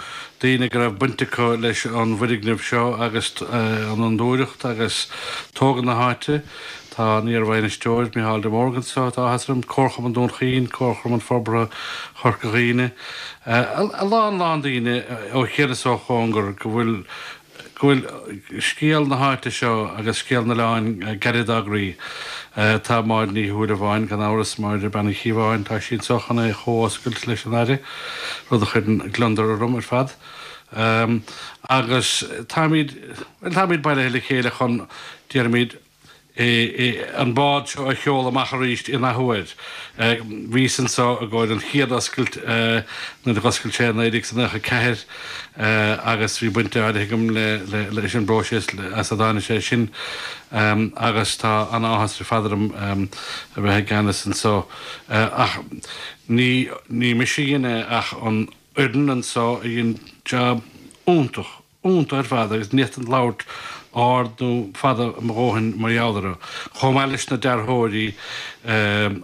daoine go raibh baint acu leis an bhfoirgneamh seo agus an fhondúireacht agus tógáil na háite. Tá an iar-bhainisteoir, Micheál de Mórdha anso, tá áthas orm, Comharchumann Dún Chaoin, Comharchumann Forbartha Chorca Dhuibhne, a lán lán daoine ó chian is ó chóngar go bhfuil go bhfuil scéal na háite seo agus scéal an oileáin gairid dá gcroí. Tá Máire Ní Shúilleabháin, gan amhras, Máire Bean Uí Chíobháin, tá sí anso chun é a chomhoscailt leis an Aire, rud a chuireann gliondar orm ar fad. Agus táimid, bhuel, táimid bailithe le chéile chun, déarfaimid, an bád seo a sheoladh amach arís in athuair. Bhíos anso i gcomhair an chéad oscailt nuair a dh'oscail sé i 1994 agus bhí baint áirithe agam leis an bpróiseas as a dtáinig sé sin agus tá an-áthas ar fad orm a bheith i gceannas anso. Ach ní ní mise a dhein é ach an fhoireann anso a dhein jab iontach iontach ar fad agus ní fhéadfainn labhairt. ard nó fada mo dhóthain mar gheall orthu, chomh maith leis na dearthóirí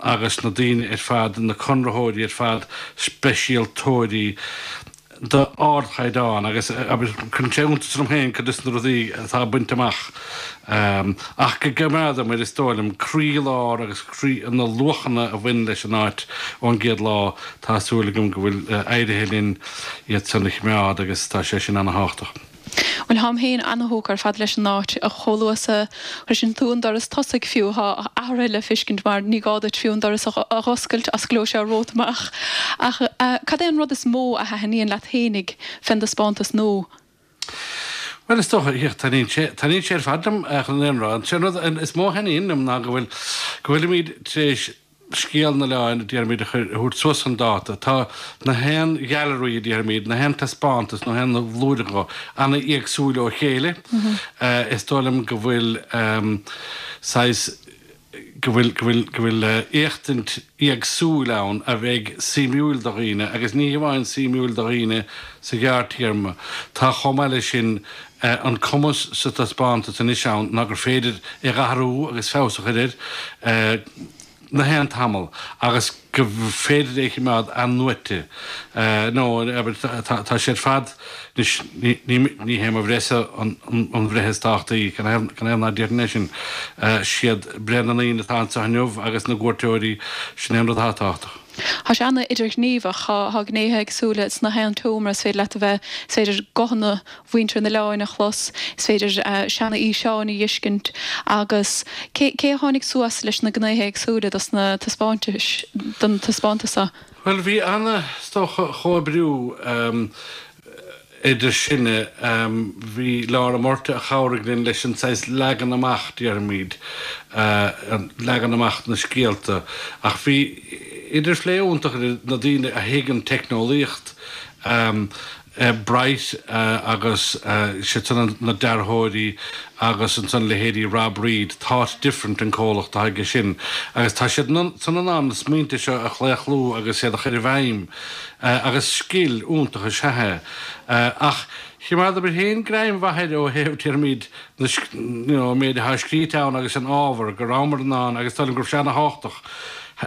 agus na daoine ar fad, na conraitheoirí ar fad, speisialtóirí d'ardchaighdeán agus cuireann sé iontas orm féin cuid de na rudaí atá bainte amach ach go gcoimeádamar, is dóigh liom, croílár agus croí na luachanna a bhain leis an áit ón gcéad lá. Tá súil agam go bhfuil éirithe linn iad san a choimeád agus tá sé sin ana-thábhachtach. Bhuel, tháim féin ana-thógtha ar fad leis an áit. Chomh luath is a shroiseann tú an doras tosaigh fiú, tá athruithe le feiscint mar ní gá duit fiú an doras a dh'oscailt, osclóidh sé romhat amach. Ach cad é an rud is mó a thaitníonn leat fhéinig fén dtaispeántas nua? Bhuel, is dócha, taitníonn sé, taitníonn sé ar fad liom, chun an fhírinne a rá. An rud is mó a thaitníonn liom ná go bhfuil, go bhfuilimid tar éis scéal an oileáin, a déarfaimid, a chur, a thabhairt suas chun dáta. Tá na haon ghailearaí, a déarfaimid, na haon taispeántas, na haon bhlúire, ana-éagsúil ó chéile. Is dóigh liom go bhfuil saghas, go bhfuil, go bhfuil, go bhfuil éachtaint éagsúil ann a bheidh suimiúil do dhaoine, agus ní hamháin suimiúil do dhaoine sa ghearrtéarma. Tá chomh maith leis sin an cumas sa taispeántas anois ann ná gur féidir é a dh'athrú agus feabhas a chur air na haon tamall agus go féidir é a choimeád athnuaite nó tá sé ar fad anois ní hé mo bhreithse an bhreith is tábhachtaí canathaobh ná déarfainn é sin siad breith na ndaoine atá anseo inniu agus na gcuairteoirí sin é an rud atá tábhachtach. Tá sé an-idirghníomhach. Tá gnéithe éagsúla sna haon tseomra. Is féidir leat a bheith, is féidir guthanna mhuintir an oileáin a chlos, is féidir seana-fhíseáin a dh'fheiscint agus cé cé a tháinig suas leis na gnéithe éagsúla dos na taispeántais, don taispeántas seo? Bhuel, bhí ana, is dócha, chomhoibriú idir sinne. Bhí Laura Murtagh a chabhraigh linn leis an saghas leagan amach, déarfaimid, leagan amach na scéalta. Ach bhí idirphlé iontach idir na daoine a thuig an teicneolaíocht, Bright agus siad san na dearthóirí agus ansan leithéidí Rob Reid, Thought Different an comhlacht atá aige sin. Agus tá siad san in ann na smaointe seo a chlaochlú agus iad a chur i bhfeidhm. Agus scil iontach is ea é. Ach choimeádamar féin greim mhaith air ó thaobh, déarfaimid, na, you know, an méid atá scríte ann agus an ábhar, go rabhamar in ann, agus is dóigh liom go raibh sé ana-thábhachtach,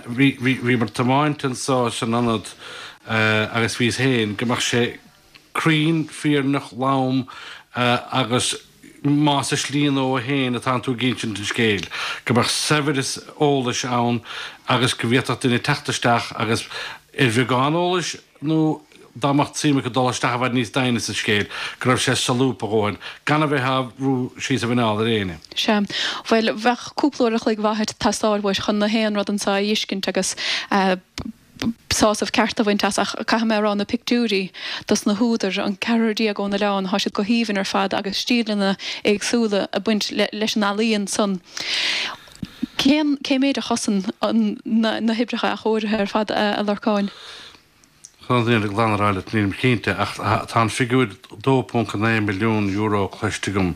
bhí, bhí, bhíomar ag tiomáint anso san ionad agus bhíos féin, go mbeadh sé cruinn, fírinneach, lom agus más i slí nó féin atánn tú ag insint an scéil, go mbeadh saibhreas eolais ann agus go bhféadfadh duine teacht isteach agus ar bheagán eolais nó dá mbeadh suim acu dul isteach i bhfad níos doimhne sa scéal, go raibh sé solúbtha a dhóthain, gan a bheith á bhrú síos a mhuineál ar éinne. Sea. Bhuel, bheadh cúpla uair a chloig mhaith ag teastáil uait chun na haon rud anseo a fheiscint agus sásamh ceart a bhaint as ach caithfidh mé a rá na pictiúirí dos na húdair, an ceathrar déag ón oileán, thá siad go haoibhinn ar fad agus stíleanna éagsúla ag baint leis an ealaíon san. Cén, cé méid a chosain an, na, na hoibreacha athchóirithe ar fad a Lorcáin? Chun an fhírinne ghlan a rá leat, nílim cinnte, ach tá an figiúr €2.9 milliún cloiste agam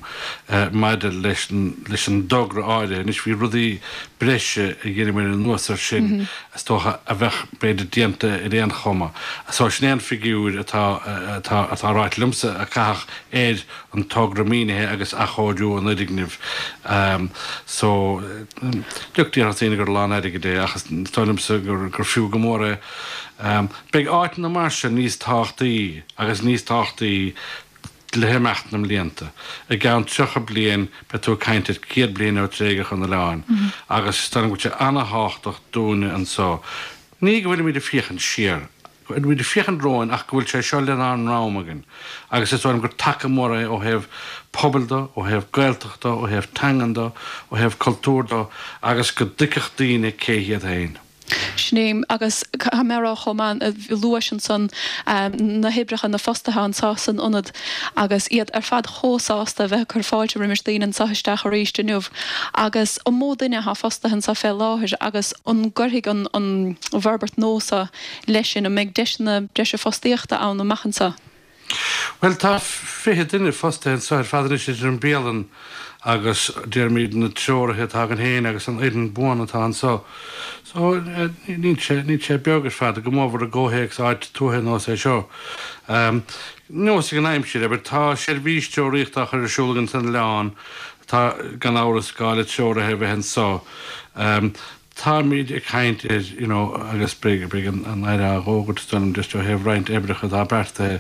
maidir leis leis an dtogra áirithe. Anois bhí rudaí breise a dheineamar anuas air sin, is dócha, a bheadh b'fhéidir déanta ar aon chuma. So sin é an figiúr atá atá atá ráite liomsa a caitheadh ar an togra maoinithe agus athchóiriú an fhoirgnimh. So look, déarfadh daoine gur a lán airgid é ach is dóigh liomsa gur gur fiú go mór é. Beidh áiteanna mar seo níos tábhachtaí agus níos tábhachtaí le himeacht na mblianta. I gceann 30 bliain beidh tú ag caint ar 100 bliain ó tréigeadh an oileáin agus is dóigh liom go bhfuil sé ana-thábhachtach dúinne anseo, ní go bhfuilimid ag féachaint siar, go bhfuilimid ag féachaint romhainn ach go bhfuil sé seo lenár ndroim againn agus is dóigh liom gur taca mór é ó thaobh pobail de, ó thaobh Gaeltachta, ó thaobh teangan de, ó thaobh cultúir de agus go dtuigfeadh daoine cé hiad féin. Sin é, agus caithfidh mé a rá chomh maith, luais ansan na hoibrithe, na fostaithe anso san ionad agus iad ar fad chomh sásta a bheith ag cur fáilte roimis daoine anso isteach arís inniu. Agus an mó duine atá fostaithe anso fé láthair agus an gcuirfidh an an bhforbairt nua so leis sin, an mbeidh deiseanna breise fostaíochta ann amach anso? Bhuel, tá 20 duine fostaithe anseo ar fad anois idir an bialann agus, déarfaimid, na treoraithe atá againn féin agus an fhoireann buan atá anseo. So, níl sé, níl sé beag ar fad, go mórmhór i gcomhthéacs áit tuaithe nós é seo. Nós ag an aimsir, abair, tá seirbhís treoraíochta á chur ar siúl againn san oileán, tá, gan amhras, gá le treoraithe a bheith anseo. Táimid ag caint ar, you know, agus beidh, beidh an, an Aire á dh'fhógairt, is dóigh liom, just ó thaobh roinnt oibreacha atá beartaithe.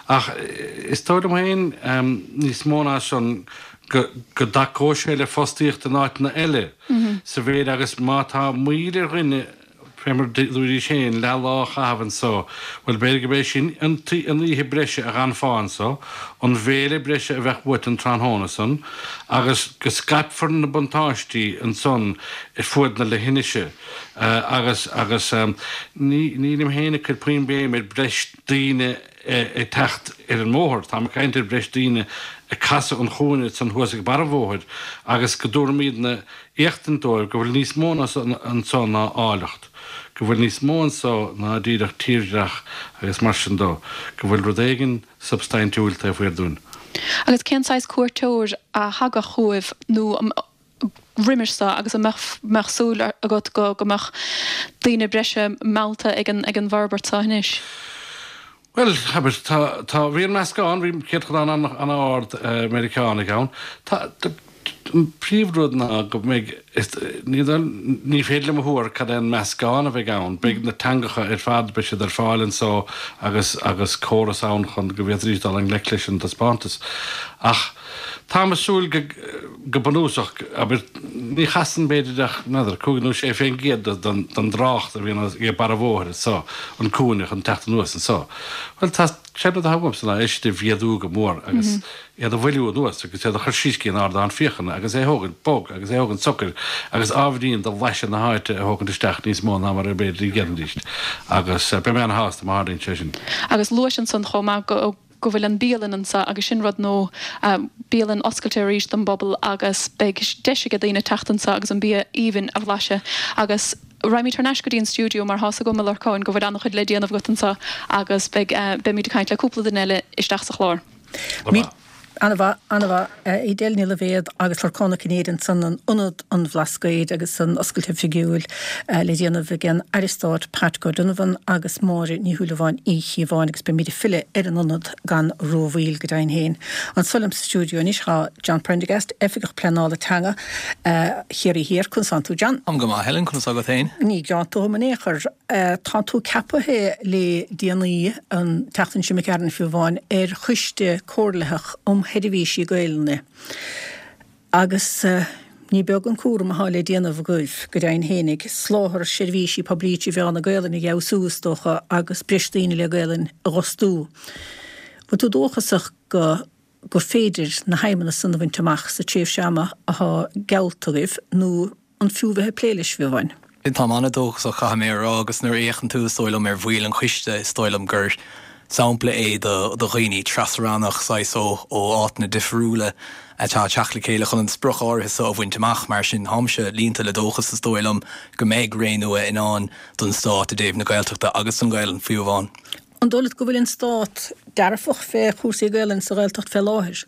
Ach is dóigh liom féin, níos mó ná san, go, go dtacóidh sé le fostaíocht in áiteanna eile sa mhéid agus má tá moill ar dhuine Fé mar dúraís féin, leath lá a chaitheamh anso, bhuel, b'fhéidir gurb é sin an oíche breise a dh'fhanfá anso, an bhéile breise a bheadh uait an tráthnóna san, agus go scaipfear na buntáistí ansan ar fuaid na leithinise. Agus, agus, ní, nílim féin ag cur puinn béim ar breis daoine ag teacht ar an mbóthar, táim ag caint ar breis daoine ag casadh an chúinne san thuas ag barr an bhóthair, agus go dtabharfaimídne éachtaint dóibh go bhfuil níos mó anso ná áilleacht, go bhfuil níos mó anso ná díreach tírdhreach agus mar sin dó, go bhfuil rud éigin substaintiúil taobh thiar dúinn. Agus cén saghas cuairteoir a thagadh chugaibh nó roimis seo agus an mbeadh súil agat go mbeadh daoine breise meallta ag an bhforbairt seo anois? Bhuel, abair, tá, tá, bhí an meascán, bhí céatadán an-ard Meiriceánaigh ann. Tá, an príomhrud ná go mbeidh, is, ní, ní féidir liom a thuar cad é an meascán a bheidh ann. Beidh na teangacha ar fad, beidh siad ar fáil anso agus, agus córas ann chun go bhféadfaidís dul i ngleic leis an taispeántas. Ach táim ag súil go, go bunúsach, abair, ní chasann b'fhéidir ach, n'fheadar, 5 nó 6% den dtrácht a bhíonn ag barr an bhóthair anso, an cúinne chun teacht anuas anso. Bhuel, tá, sé an rud atá uaimse ná é sin a mhéadú go mór agus iad a mhoilliú anuas agus iad a chur síos go dtí an ardán féachana agus é a thógaint bog agus é a thógaint socair agus ábhairín de bhlaiseadh na háite a thógaint isteach níos mó ná mar a b'fhéidir a dhéanfaidís agus beidh mé ana-shásta má tharlaíonn sé sin. Agus luais ansan chomh maith go go bhfuil an bialann anso agus sin rud nua, bialann oscailte arís don bpobal agus beidh deis age daoine teacht anso agus an bia aoibhinn a bhlaiseadh. Agus raghaimid thar n-ais go dtí an stiúideo mar thá's agam, a Lorcáin, go bhfuil an-chuid le déanamh agat anso agus beidh, beimid ag caint le cúpla duine eile isteach sa chlár. An-mhaith, an-mhaith. Edel Ní Loibhéad agus Lorcán Ó Cinnéide ansan in Ionad an Bhlascaoid agus an oscailt oifigiúil le déanamh ag an Aire Stáit Patrick O'Donovan agus Máire Ní Shúilleabháin Uí Chíobháin agus beimid ag filleadh ar an ionad gan rómhoill go deimhin féin. Anso liom sa stiúideo anois tá John Prendergast, Oifigeach Pleanála Teanga Chiarraí Thiar. Conas tánn tú John? Táim go maith Helen, conas tá agat féin? Ní gearán dom in aon chor. Tá tú ceapaithe le déanaí, an tseachtain seo imigh tharainn fiú amháin, ar Choiste Comhairlitheach um Sheirbhísí Gaelainne agus ní beag an cúram atá le déanamh agaibh, go deimhin fhéinig, soláthar seirbhísí poiblí trí mheán na Gaelainne a fheabhsú, is dócha, agus breis daoine le Gaelainn a dh'fhostú. Bhfuil tú dóchasach go gur féidir na haidhmeanna san a bhaint amach sa tréimhse ama atá geallta agaibh nó an fiú bheith ag plé leis, fiú amháin? Táim an-dóchasach, caithfidh mé a rá, agus nuair a fhéachann tú, is dóigh liom, ar bhaill an choiste, is dóigh liom gur sampla é do dhaoine tras-rannach, saghas ó áiteanna difriúla atá ag teacht le chéile chun an sprioc áirithe seo a bhaint amach. Mar sin, táimse líonta le dóchas, is dóigh liom, go mbeidh ré nua i ndán don Stát i dtaobh na Gaeltachta agus don Ghaelainn, fiú amháin. An dóigh leat go bhfuil an Stát dearfach fé chúrsaí Gaelainne sa Ghaeltacht fé láthair?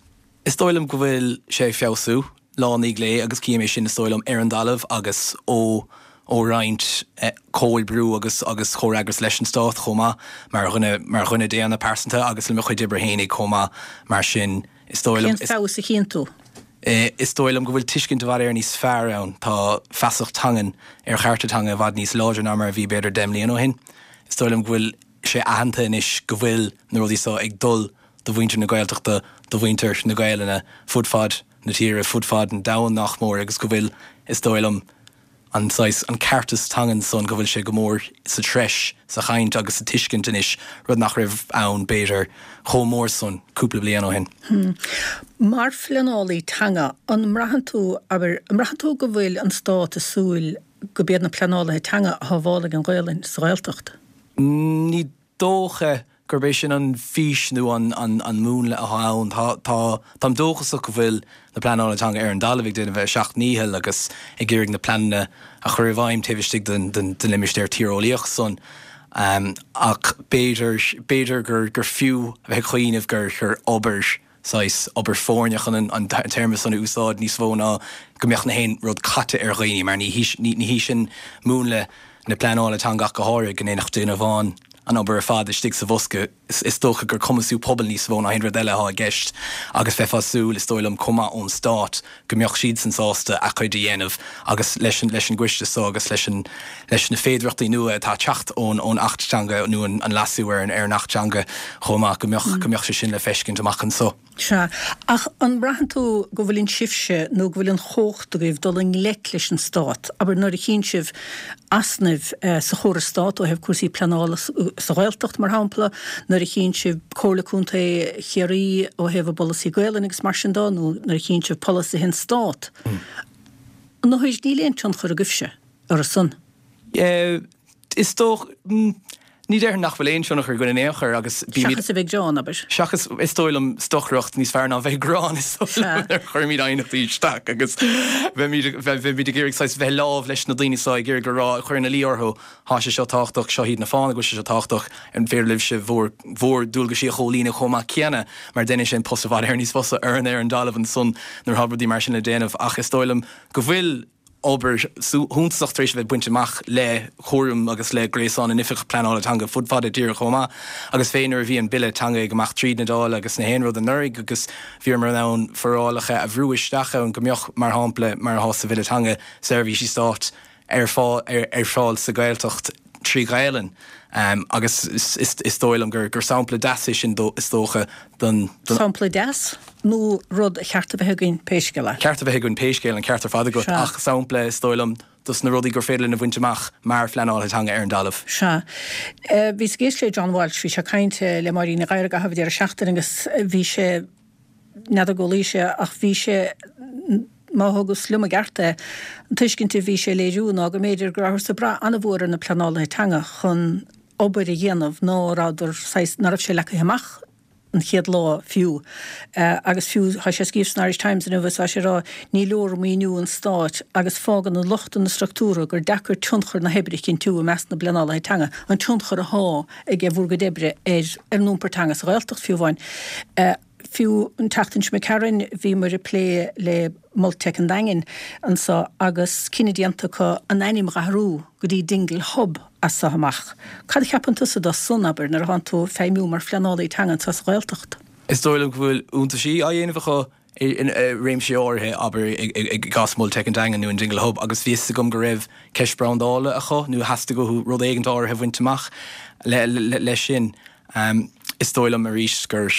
Is dóigh liom go bhfuil sé ag feabhsú, lá i ndiaidh lae, agus cím é sin, is dóigh liom, ar an dtalamh agus ó ó roinnt comhoibriú agus agus comhfhreagras leis an Stát chomh maith, mar dhuine mar dhuine daonna pearsanta agus le mo chuid oibre fhéinig chomh maith. Mar sin, is dóigh liom. Cén feabhas a chíonn tú? Is dóigh liom go bhfuil tuiscint i bhfad Éireann níos fearr ann. Tá feasacht teangan ar chearta teanga i bhfad níos láidre ná mar a bhí b'fhéidir 10 mbliana ó shin. Is dóigh liom go bhfuil sé aitheanta anois go bhfuil na rudaí seo ag dul do mhuintir na Gaeltachta, do mhuintir na Gaelainne fud fad na tíre, fud fad an domhain nach mór agus go bhfuil, is dóigh liom, an saghas, an ceartas teangan san, go bhfuil sé go mór sa treis, sa chaint agus sa tuiscint anois, rud nach raibh ann, b'fhéidir, chomh mór san cúpla bliain ó shin. Mar phleanálaí teanga, an mbraitheann tú, abair, an mbraitheann tú go bhfuil an Stát ag súil go b'iad na pleanálaithe teanga atá a fháil ag an Ghaelainn sa Ghaeltacht? Ní dócha gurb é sin an fís nó an múnla atá ann. Tá, tá, táim dóchasach go bhfuil na pleanálaithe teanga ar an dtalamh ag déanamh a seacht ndícheall agus ag iarraidh na pleananna a chur i bhfeidhm taobh istigh den, den, den limistéar tíreolaíoch san. Ach b'fhéidir, b'fhéidir gur, gur fiú a bheith ag cuimhneamh gur, gur obair, saghas, obair foirne chun an, an téarma san a úsáid níos mó ná go mbeadh na haon rud caite ar dhaoine mar ní hí, ní hí sin múnla na pleanála teanga ach go háirithe, go ndéanfadh duine amháin an obair ar fad istigh sa bhosca. Is dócha gur cumasú pobail níos mó ná aon rud eile atá i gceist agus bheifeá ag súil, is dóigh liom, chomh maith ón Stát go mbeadh siadsan sásta a gcuid a dhéanamh agus leis an leis an gcoiste so agus leis an leis na féidearthachtaí nua atá ag teacht ón ón Acht Teanga nó an an leasú ar an ar an Acht Teanga chomh maith go mbeadh go mbeadh sé sin le feiscint amach anso. Sea. Ach an mbraitheann tú go bhfuileann sibhse, nó go bhfuil an chumhacht agaibh dul i ngleic leis an Stát, abair nuair a chíonn sibh easnaimh sa chóras Stát ó thaobh cúrsaí pleanála sa Ghaeltacht, mar shampla, nuair a chíonn sibh Comhairle Contae Chiarraí ó thaobh a bpolasaí Gaolainne agus mar sin de, nó nuair a chíonn sibh polasaithe an Stát. Nó níl aon tionchar agaibhse orthu san? Is dócha, ní déarfainn nach bhfuil aon tionchar againn in aon chor agus bímid. Seachas a bheith ag gearán, abair. Seachas, is dóigh liom, stocaireacht níos fearr ná bheith ag gearán, is dóigh liom, nuair a chuirimid aighneachtaí isteach agus bheimid, bheimid ag iarraidh saghas bheith lámh leis na daoine seo, ag iarraidh a rá, ag cur ina luí orthu, tá sé seo tábhachtach, seo iad na fáthanna go bhfuil sé seo tábhachtach, an féidir libhse bhur, bhur ndualgaisí a chomhlíonadh chomh maith céanna, mar déanann sé an post i bhfad Éireann níos fusa orainn ar an dtalamh ansan nuair atá rudaí mar sin le déanamh ach is dóigh liom go bhfuil obair shuntasach tar éis a bheith bainte amach le cúram agus le gréasán na n-oifigeach pleanála teanga fud fad na tíre chomh maith agus fé nuair a bhí an Bille Teanga ag imeacht tríd na Dála agus na haon rud anuraidh agus bhíomar in ann forálacha a bhrú isteach ann go mbeadh, mar shampla, mar atá sa Bhille Teanga, seirbhísí stáit ar fáil sa Ghaeltacht 3 Ghaelainn agus is dóigh liom gur sampla deas é sin is dócha don. Sampla deas nó rud a cheart a bheith againn pé scéal é? Ceart a bheith againn pé scéal, an ceart ar fad agat, ach sampla is dóigh liom dos na rudaí gur féidir linn a bhaint amach mar phleanálaithe teanga ar an dtalamh. Sea. Bhíos ag éisteacht le John Walsh, bhí sé ag caint le Máirín Ní Ghadhra i gcaitheamh an deireadh seachtaine agus bhí sé, n'fheadar go bhfuil sé ach bhí sé, má thugas liom i gceart é, an tuiscint a bhí sé a léiriú ná go mb'fhéidir go rabhthas ag brath an-mhór ar na pleanálaithe teanga chun obair a dhéanamh ná rabhadar saghas, ná raibh sé leagtha amach an chéad lá fiú. Agus fiú, tá sé ag scríobh san Irish Times inniu agus tá sé ag rá, ní leor maoiniú an stáit agus fágann na lochtanna structúrtha gur deacair tionchar na hoibre a chinntiú i measc na bpleanálaithe teanga, an tionchar athá ag bhur gcuid oibre ar ar an iompar teanga sa Ghaeltacht fiú amháin. Fiú an tseachtain seo imigh tharainn bhíomar ag plé le Multitech an Daingin anso agus cinneadh déanta acu an ainm a dh'athrú go dtí Dingle Hub as so amach. Cad a cheapann tusa dó san, abair, nuair atánn tú ag feidhmiú mar phleanálaí teanga anso sa Ghaeltacht? Is dóigh liom go bhfuil iontaisí á dhéanamh acu i réimsí áirithe, abair, i gcás Multitech an Daingin nó an Dingle Hub, agus bhí fhios agam go raibh ceist brandála acu nó theastaigh uathu rud éigint áirithe a bhaint amach leis sin. Is dóigh liom arís gur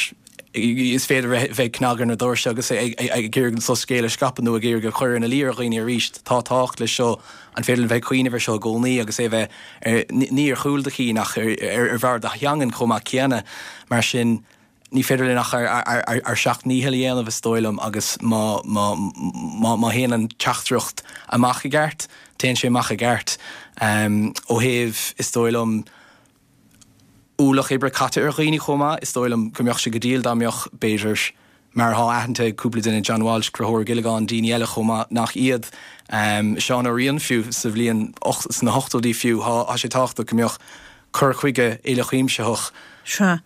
is féidir bheith ag cnagadh ar na doirse agus ag iarraidh an soiscéal a scaipeadh nó ag iarraidh a chur ina luí ar dhaoine arís. Tá tábhacht leis seo. An féidir linn bheith ag cuimhneamh ar seo i gcónaí agus é a bheith ní ar chúl do chinn ach ar bharr do theangan chomh maith céanna. Mar sin, ní féidir linn ach ár seacht ndícheall a dhéanamh, is dóigh liom, agus má má théann an teachtaireacht amach i gceart, téann sé amach i gceart. Ó thaobh, is dóigh liom, ualach oibre caite ar dhaoine chomh maith. Is dóigh liom go mbeadh sé go diail dá mbeadh, b'fhéidir, mar atá aitheanta ag cúpla duine, John Walsh, Conchúr Ó Giollagáin, daoine eile chomh maith nach iad, Seán Ó Riain fiú, sa bhliain, sna hochtóidí fiú, tá sé tábhachtach go mbeadh cur chuige uilechuimsitheach. Sea.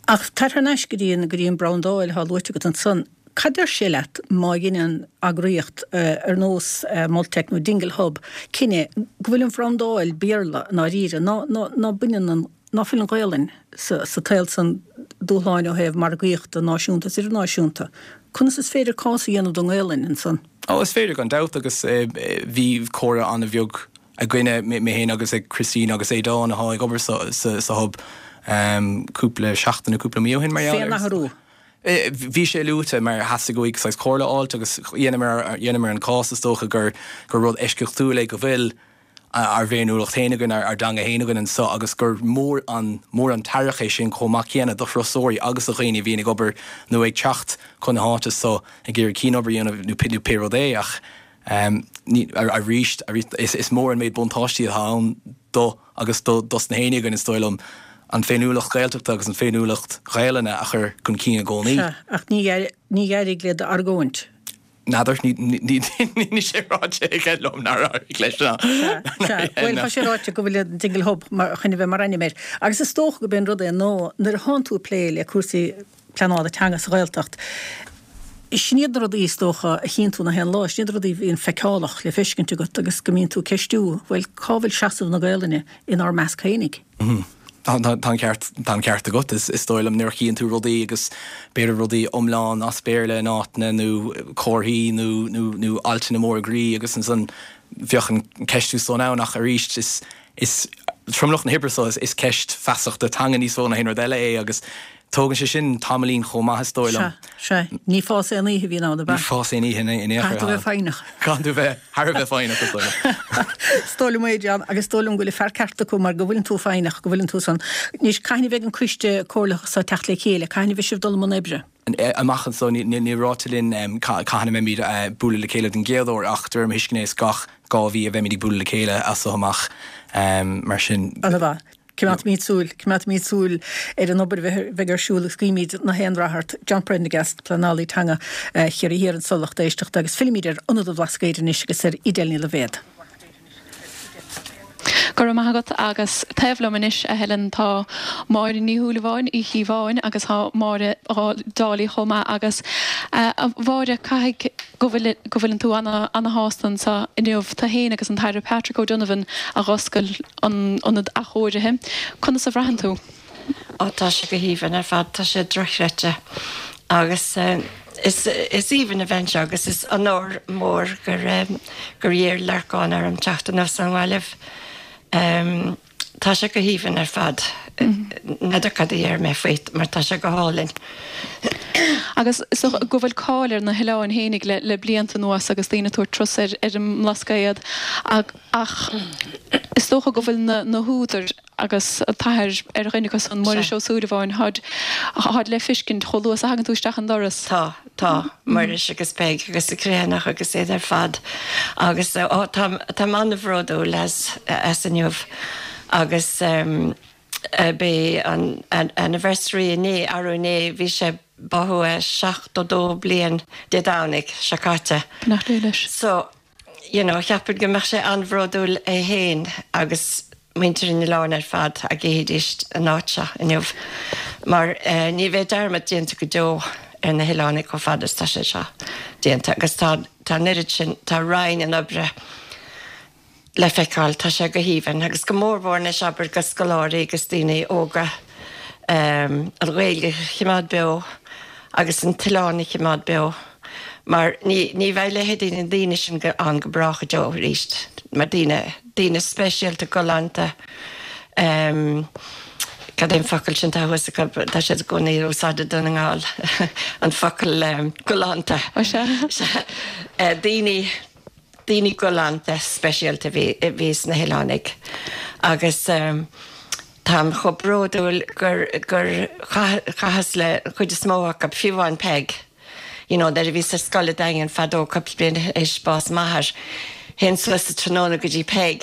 Ach tar thar n-ais go dtí an, go dtí an brandáil atá luaite agat ansan. Cad deir sé leat má dheineann eagraíocht ar nós Multitech nó Dingle Hub cinneadh go bhfuil an bhrandáil Béarla i ndáiríre, ná, ná, ná baineann an, ná fuil an Ghaolainn sa, sa tsaol san, dúshláin ó thaobh margaíochta náisiúnta is idirnáisiúnta. Conas is féidir cás a dhéanamh don nGaolainn ansan? Ó, is féidir gan dabht agus bhí comhrá an-bheag againne, mé féin agus ag Christine agus Aodán atá ag obair sa, sa, sa Hub cúpla seachtain nó cúpla mí ó shin mar gheall air. Fén athrú. Bhí sé luaite mar theastaigh uaidh saghas comhairle a fháilt agus dheineamar an cás is dócha gur gur rud eisceachtúil é go bhfuil ár bhféiniúlacht féin againn, ár dteanga féin againn anseo agus gur mór an mór an t-aireach é sin chomh maith céanna do thurasóirí agus do dhaoine a bhíonn ag obair nó ag teacht chun na háite so ag iarraidh cianobair a dhéanamh nó pé rud é ach arís is mór an méid buntáistí atá ann do agus do dos na héinne againn, is dóigh liom, an féiniúlacht Ghaeltachta agus an féiniúlacht Ghaelainne a chur chun cinn i gcónaí. Sea, ach ní ní d'éirigh le d'argóint. N'fheadar, níl sé ráite aige liom nár éirigh leis ná. Sea, sea. Bhuel, tá sé ráite go bhfuil an Dingle Hub mar chun a bheith mar ainm air. Agus is dócha gurb é an rud é ná nuair a thánn tú ag plé le cúrsaí pleanála teanga sa Ghaeltacht, sin iad na rudaí is dócha a chíonn tú na haon lá, sin iad na rudaí a bhíonn feiceálach le feiscint agat agus go mbíonn tú ag ceistiú, bhuel, cá bhfuil seasamh na Gaelainne inár measc fhéinig? Tá an ceart, tá an ceart agat. Is dóigh liom nuair a chíonn tú rudaí agus b'fhéidir rudaí iomlán as Béarla in áiteanna nó comharthaí nó nó nó altanna móra groí agus ansan bheadh an ceistiú san ann ach arís is is tromlach na hoibre so is ceist feasachta teanga níos mó ná aon rud eile é agus Tógann sé sin tamaillín chomh maith, is dóigh liom. Sea, sea. Ní fás aon oíche a bhíonn ann, ab ea? Ní fás aon oíche in aon chor. Caithfidh tú a bheith foighneach. Caithfidh tú bheith thar a bheith foighneach, is dóigh liom. Is dóigh liom é, John, agus is dóigh liom go bhfuil an fear ceart acu mar go bhfuileann tú foighneach, go bhfuileann tú san. Anois, cathain a bheidh an coiste comhairleach so ag teacht le chéile? Cathain a bheidh sibh dul i mbun oibre? Amach anso, níl ráite linn cathain a mbeimid ag bualadh le chéile den gcéad uair ach de réir mo thuisceana is gach 2 mhí a bheimid ag bualadh le chéile as so amach. Mar sin. Ana-mhaith. Coimeádfaimid súil, coimeádfaimid súil ar an obair a bheidh ar siúl agus guímid na haon rath ort. John Prendergast, Pleanálaí Teanga Chiarraí Thiar anso lucht éisteachta agus fillfimid ar Ionad an Bhlascaoid anois agus ar Edel Ní Loibhéad. Go raibh maith agat agus taobh liom anois a Helen tá Máire Ní Shúilleabháin Uí Chíobháin agus tá Máire Dálaigh chomh maith agus a Mháire caithfidh go bhfuil go bhfuileann tú ana ana shásta anseo inniu tú fhéin agus an tAire Patrick O'Donovan a dh'oscail an ionad athchóirithe. Conas a bhraitheann tú? Ó tá sé go haoibhinn ar fad, tá sé dochreidte agus is is aoibhinn a bheith anseo agus is onóir mór gur gur iarr Lorcán orm teacht anuas ón nGaillimh. Tá sé go haoibhinn ar fad. N'fheadar cad a déarfaidh mé faoi mar tá sé go hálainn. Agus is dócha go bhfuil cáil ar na hoileáin fhéinig le le blianta anuas agus daoine ag tabhairt turas ar ar an mBlascaod Ach is dócha go bhfuil na húdair agus an t-athair ar dhuine acu san, Muiris Ó Súilleabháin, tháid, tháid le fiscint chomh luath is a thagann tú isteach an doras. Tá, tá, Muiris agus Peig agus an Criomhthanach agus iad ar fad agus ó tá, táim an-bhródúil as, as inniu agus b'é an anniversary inné, arú inné, bhí sé, básaithe 72 bliain Dé Domhnaigh seo caite. Beannacht Dé leis. So, you know, cheapfainn go mbeadh sé an-bhródúil é féin agus muintir an oileáin ar fad dá gcífidís an áit seo inniu mar ní bheidh dearmad déanta go deo ar na hoileánaigh chomh fada is tá sé seo déanta agus tá tá an oiread sin, tá rian an oibre le feiceáil, tá sé go haoibhinn agus go mór mhór anois abair go scoláirí agus daoine óga an Ghaeilge a choimeád beo agus an t-oileán a choimeád beo. Mar ní, ní bheidh leithéidí na ndaoine sin go, ann go brách go deo arís. Mar daoine, daoine speisialta, galánta, ehm, cad é an focal sin atá thuas acu, tá siad i gcónaí ag úsáid i Dún na nGall, an focal ehm, galánta. Ó sea. Sea. Eh, daoine, daoine galánta speisialta a bhí, a bhí sna hoileánaigh. Agus ehm, táim chomh bródúil gur, gur chaith, chaitheas le an chuid is mó acu, fiú amháin Peig. You know, nuair a bhíos ar scoil i Daingean fadó, cúpla bliain théis bás m'athar, théinn suas sa tráthnóna go dtí Peig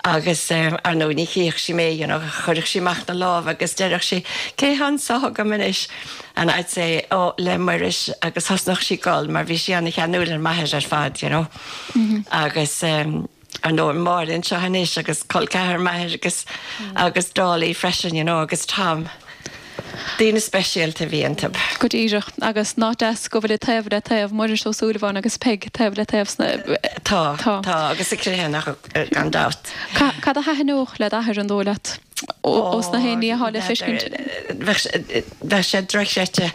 agus ar ndóigh ní chífeadh sí mé, you know, chuirfeadh sí amach na lámha agus déarfadh sí, cé thá anso agam anois? And I'd say, oh, le Muiris agus thosnódh sí ag gol mar bhí sí ana-cheanúil ar m'athair ar fad, you know. Agus. Ar ndóigh, Máire anseo anois agus col ceathar m'athair agus agus Dálaigh freisin, you know, agus Tom. Daoine speisialta a bhí iontu. Go díreach. Agus nach deas go bhfuil taobh le taobh, Muiris Ó Súilleabháin agus Peig taobh le taobh sna. Tá, tá, agus an Criomhthanach gan dabht. Cad a thaitneodh le d'athair, an dóigh leat? Ós na haon ní atá le feiscint. Bheadh sé dochreidte.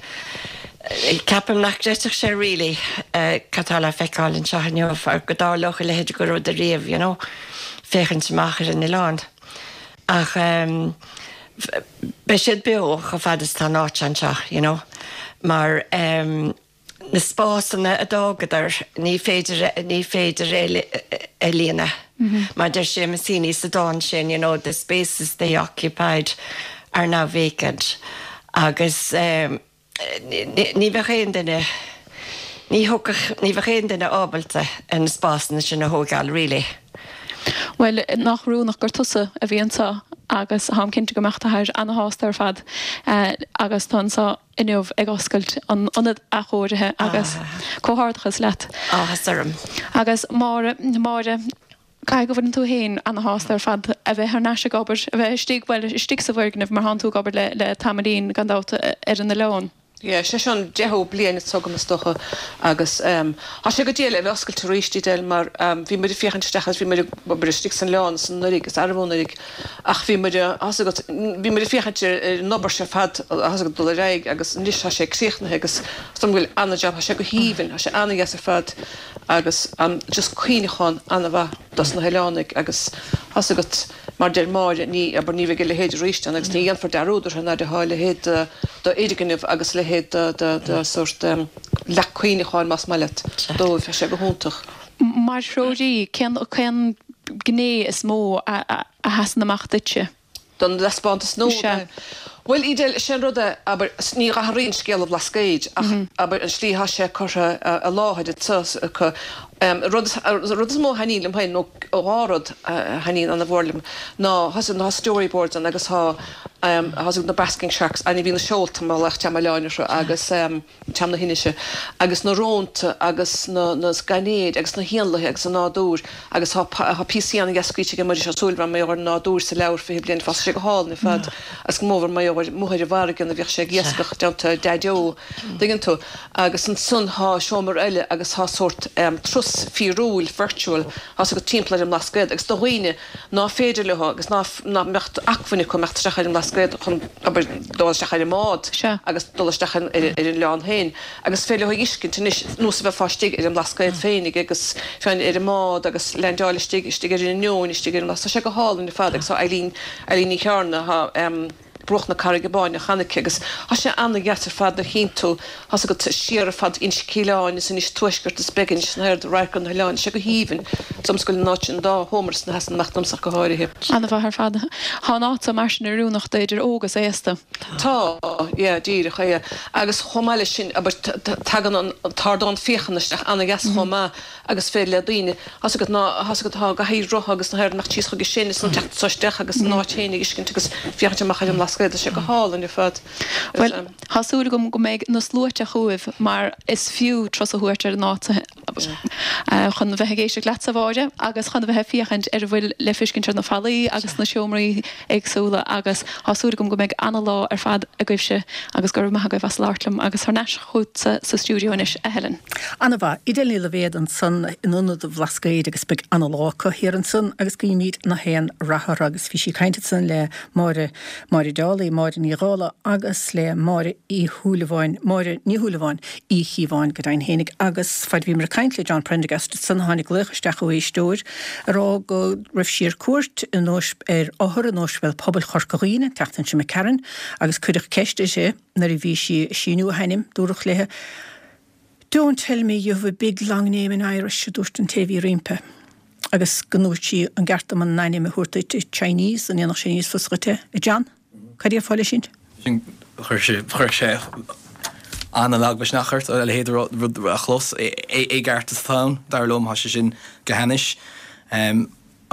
Ceapaim nach gcreidfeadh sé really cad tá le feiceáil anseo inniu or go dtarlódh a leithéid de rud ariamh, you know, féachaint amach ar an oileán. Ach beidh siad beo chomh fada is tá an áit anseo, you know, mar na spásanna a d'fhágadar, ní féidir, ní féidir é a líonadh. Mar deir Seamus Heaney sa dán sin, you know, the spaces they occupied are now vacant. Agus ní bheadh aon duine, ní thiocfadh, ní bheadh aon duine ábalta ar na spásanna sin a thóigeáil really. Bhuel, nach oiriúnach gur tusa a bhí anseo agus táim cinnte go mbeadh d'athair ana-shásta ar fad agus tú anseo. inniu ag oscailt an ionad athchóirithe agus comhghairdeachas leat. Áthas orm. Agus Máire, Máire, caithfidh go bhfuileann tú féin ana-shásta ar fad a bheith thar n-ais ag obair, a bheith istigh, bhuel, istigh sa bhfoirgneamh mar thánn tú ag obair le, le tamaillín gan dabht ar an oileán. Yeah, sé seo an deichiú bliain anseo agam is dócha agus tá sé go diail a bheith oscailte arís, Edel, mar bhí muid ag féachaint isteach agus bhí muid ag obair istigh san oileán ansan anuraidh agus arbh anuraidh ach bhí muid, tá's agat, bhí muid ag féachaint ar an obair seo ar fad, tá's agat, dul ar aghaidh agus anois tá sé críochnaithe agus is dóigh liom go bhfuil an-jab, tá sé go haoibhinn, tá sé an-dheas ar fad agus just cuimhneachán an-mhaith dos na hoileánaigh agus tá's agat, mar deir Máire, ní, abair, ní bheidh a leithéid arís ann agus ní dhéanfar dearúd orthu nuair atá a leithéid de d'fhoirgneamh agus a leithéid de, de, de sórt leac cuimhneacháin, más maith leat, dóibh, tá sé go hiontach. Mar threoraí, cén, cén gné is mó a sheasann amach duitse? Don taispeántas nua? Sea. Bhuel, Edel, is é an rud é, abair, ní athraíonn scéal an Bhlascaoid ach, abair, an slí atá sé curtha i láthair anseo acu. Rud, rud is mó a thaitníonn liom féin, nó dhá rud a thaitníonn ana-mhór liom, ná, tá storyboards ann agus tá, tá na basking sharks, ainmhí na seolta mar a ghlaoch dream oileáin orthu agus, dream na hInise, agus na rónta agus na na gainéid agus na héanlaithe agus an nádúr agus tá tá píosaí an-dheas scríte aige Muiris Ó Súilleabháin mar gheall ar an nádúr sa leabhar 20 Bliain Fá Tá sé go hálainn ar fad agus go mór mar gheall ar amuigh ar an bhfarraige nuair a bhíodh sé ag iascach i dteannta Daideo, dtuigeann tú. Agus ansan tá seomra eile agus tá sórt turas fíorúil, virtual, tá's agat timpeall ar an mBlascaod agus do dhaoine ná féidir leo agus ná nach mbeadh acmhainn acu imeacht isteach ar an mBlascaod chun, abair, dul isteach ar an mbád agus dul isteach ar an oileán féin agus is féidir leo a fheiscint anois nós a bheifeá istigh ar an mBlascaod féinig agus féin ar an mbád agus leaindeáil istigh, istigh ar an Inneoin, istigh ar an Bhlascaod. Tá sé go hálainn ar fad agus tá Eileen, Eileen Ní Chearna, tá. Bruach na Carraige Báine cheana aici agus tá sé ana-dheas ar fad nuair a chíonn tú, tá's agat, siar ar fad Inse Cíleáin is Inis Tuaisceart is Beginis na hairde radharc ar na hoileáin, tá sé go haoibhinn. Is dóigh liom go bhfuil an áit an dá sheomra san a sheasann amach domsa ach go háirithe. Ana-mhaith ar fad. Tá an áit so mar sin oiriúnach d'idir óg is aosta. Tá, yeah, díreach, yeah. Agus chomh maith leis sin, abair, tagann an t-ardán féachana isteach ana-dheas chomh maith agus féidir le daoine, tá's agat, ná, tá's agat, atá i gcathaoir rotha agus na hairde imeacht síos chuige sin is an teacht anso isteach agus an áit féin a fheiscint agus féachaint amach ar an mBlascaod, tá sé go hálainn ar fad. Bhuel, tá súil agam go mbeidh na sluaite chugaibh mar is fiú turas a thabhairt ar an áit chun bheith ag éisteacht leatsa, a Mháire, agus chun a bheith ag féachaint ar a bhfuil le feiscint ar na fallaí agus sna seomraí éagsúla agus tá súil agam go mbeidh ana-lá ar fad agaibhse agus go raibh maith agaibh as labhairt liom agus thar n-ais chughatsa sa stiúideo anois, a Helen. Ana-mhaith. Edel Ní Loibhéad ansan in Ionad an Bhlascaoid agus beidh ana-lá acu thiar ansan agus guímid na haon rath orthu agus bhí sí ag caint ansan le Máire, Máire Dálaigh, Máire Ní Dhálaigh agus le Máire Uí Shúilleabháin, Máire Ní Shúilleabháin Uí Chíobháin go deimhin fhéinig agus faid a bhíomar ag caint le John Prendergast ansan tháinig glaoch isteach ó éisteoir ag rá go raibh sí ar cuairt in ar othar in Ospidéal Pobail Chorca Dhuibhne an tseachtain seo imigh tharainn agus cuireadh ceist uirthi nuair a bhí sí ag síniú a hainm, dúradh léi Don't tell me you have a big long name in Irish, a dúirt an té a bhí roimpi. Agus go ndúirt sí an gceart dom an ainm a thabhairt duit i Chinese, an ndéanfadh sé níos fusa dhuit é, a John? Cad déarfá leis sin? Sin, chuir sé, chuir sé an-lagmhisneach ort a leithéid de rud a chlos. Éigeartas atá ann, dar liom, tá sé sin go hainnis.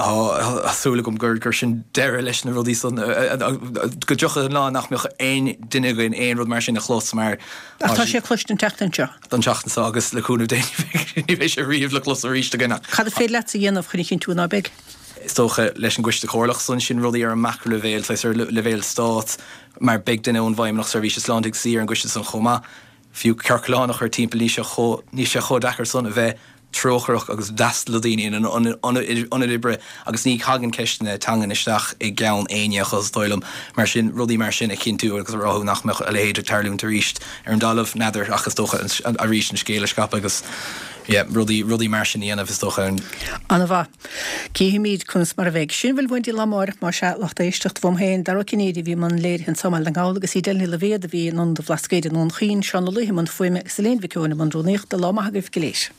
Tá súil agam gur sin deireadh leis na rudaí san, go dtiocfaidh an lá nach mbeadh aon duine againn aon rud mar sin a chlos mar. Ach tá sé cloiste an tseachtain seo. An tseachtain seo agus le cúnamh Dé ní bheidh sé riamh le clos arís againn ach. Cad is féidir leatsa a dhéanamh chun a chinntiú ná beidh? Is dócha leis an gcoiste comhairleach san, sin rudaí ar an macraileibhéal, saghas ar leibhéal stáit, mar beidh duine ón bhFeidhmeannacht Seirbhíse Sláinte ag suí ar an gcoiste san chomh maith. Fiú ciorclán a chur timpeall, níl sé chomh, níl sé chomh deacair san a bheith trócaireach agus d'fhreastal le daoine ina n-ionad oibre agus ní thagann ceisteanna teangan isteach i gceann éinne acu is dóigh liom. Mar sin, rudaí mar sin a chinntiú agus a ráthú nach mbeadh a leithéid ag tarlúint arís ar an dtalamh, n'fheadar ach is dócha arís an scéal a scaipeadh agus yeah, rudaí, rudaí mar sin a dhéanamh is dócha. Ana-mhaith. Cífimid conas mar a bheidh. Sin a bhfuil uainn daoibh lá amárach, más ea, lucht éisteachta uaim féin, Dara Ó Cinnéide a bhí i mbun léirithe anso i mBaile na nGall agus Edel Ní Loibhéad a bhí in Ionad an Bhlascaoid i nDún Chaoin, Seán Ó Laoithe i mbun fuaime agus Elaine Mhic Eoin i mbun rúnaíochta. Lá maith agaibh go léir.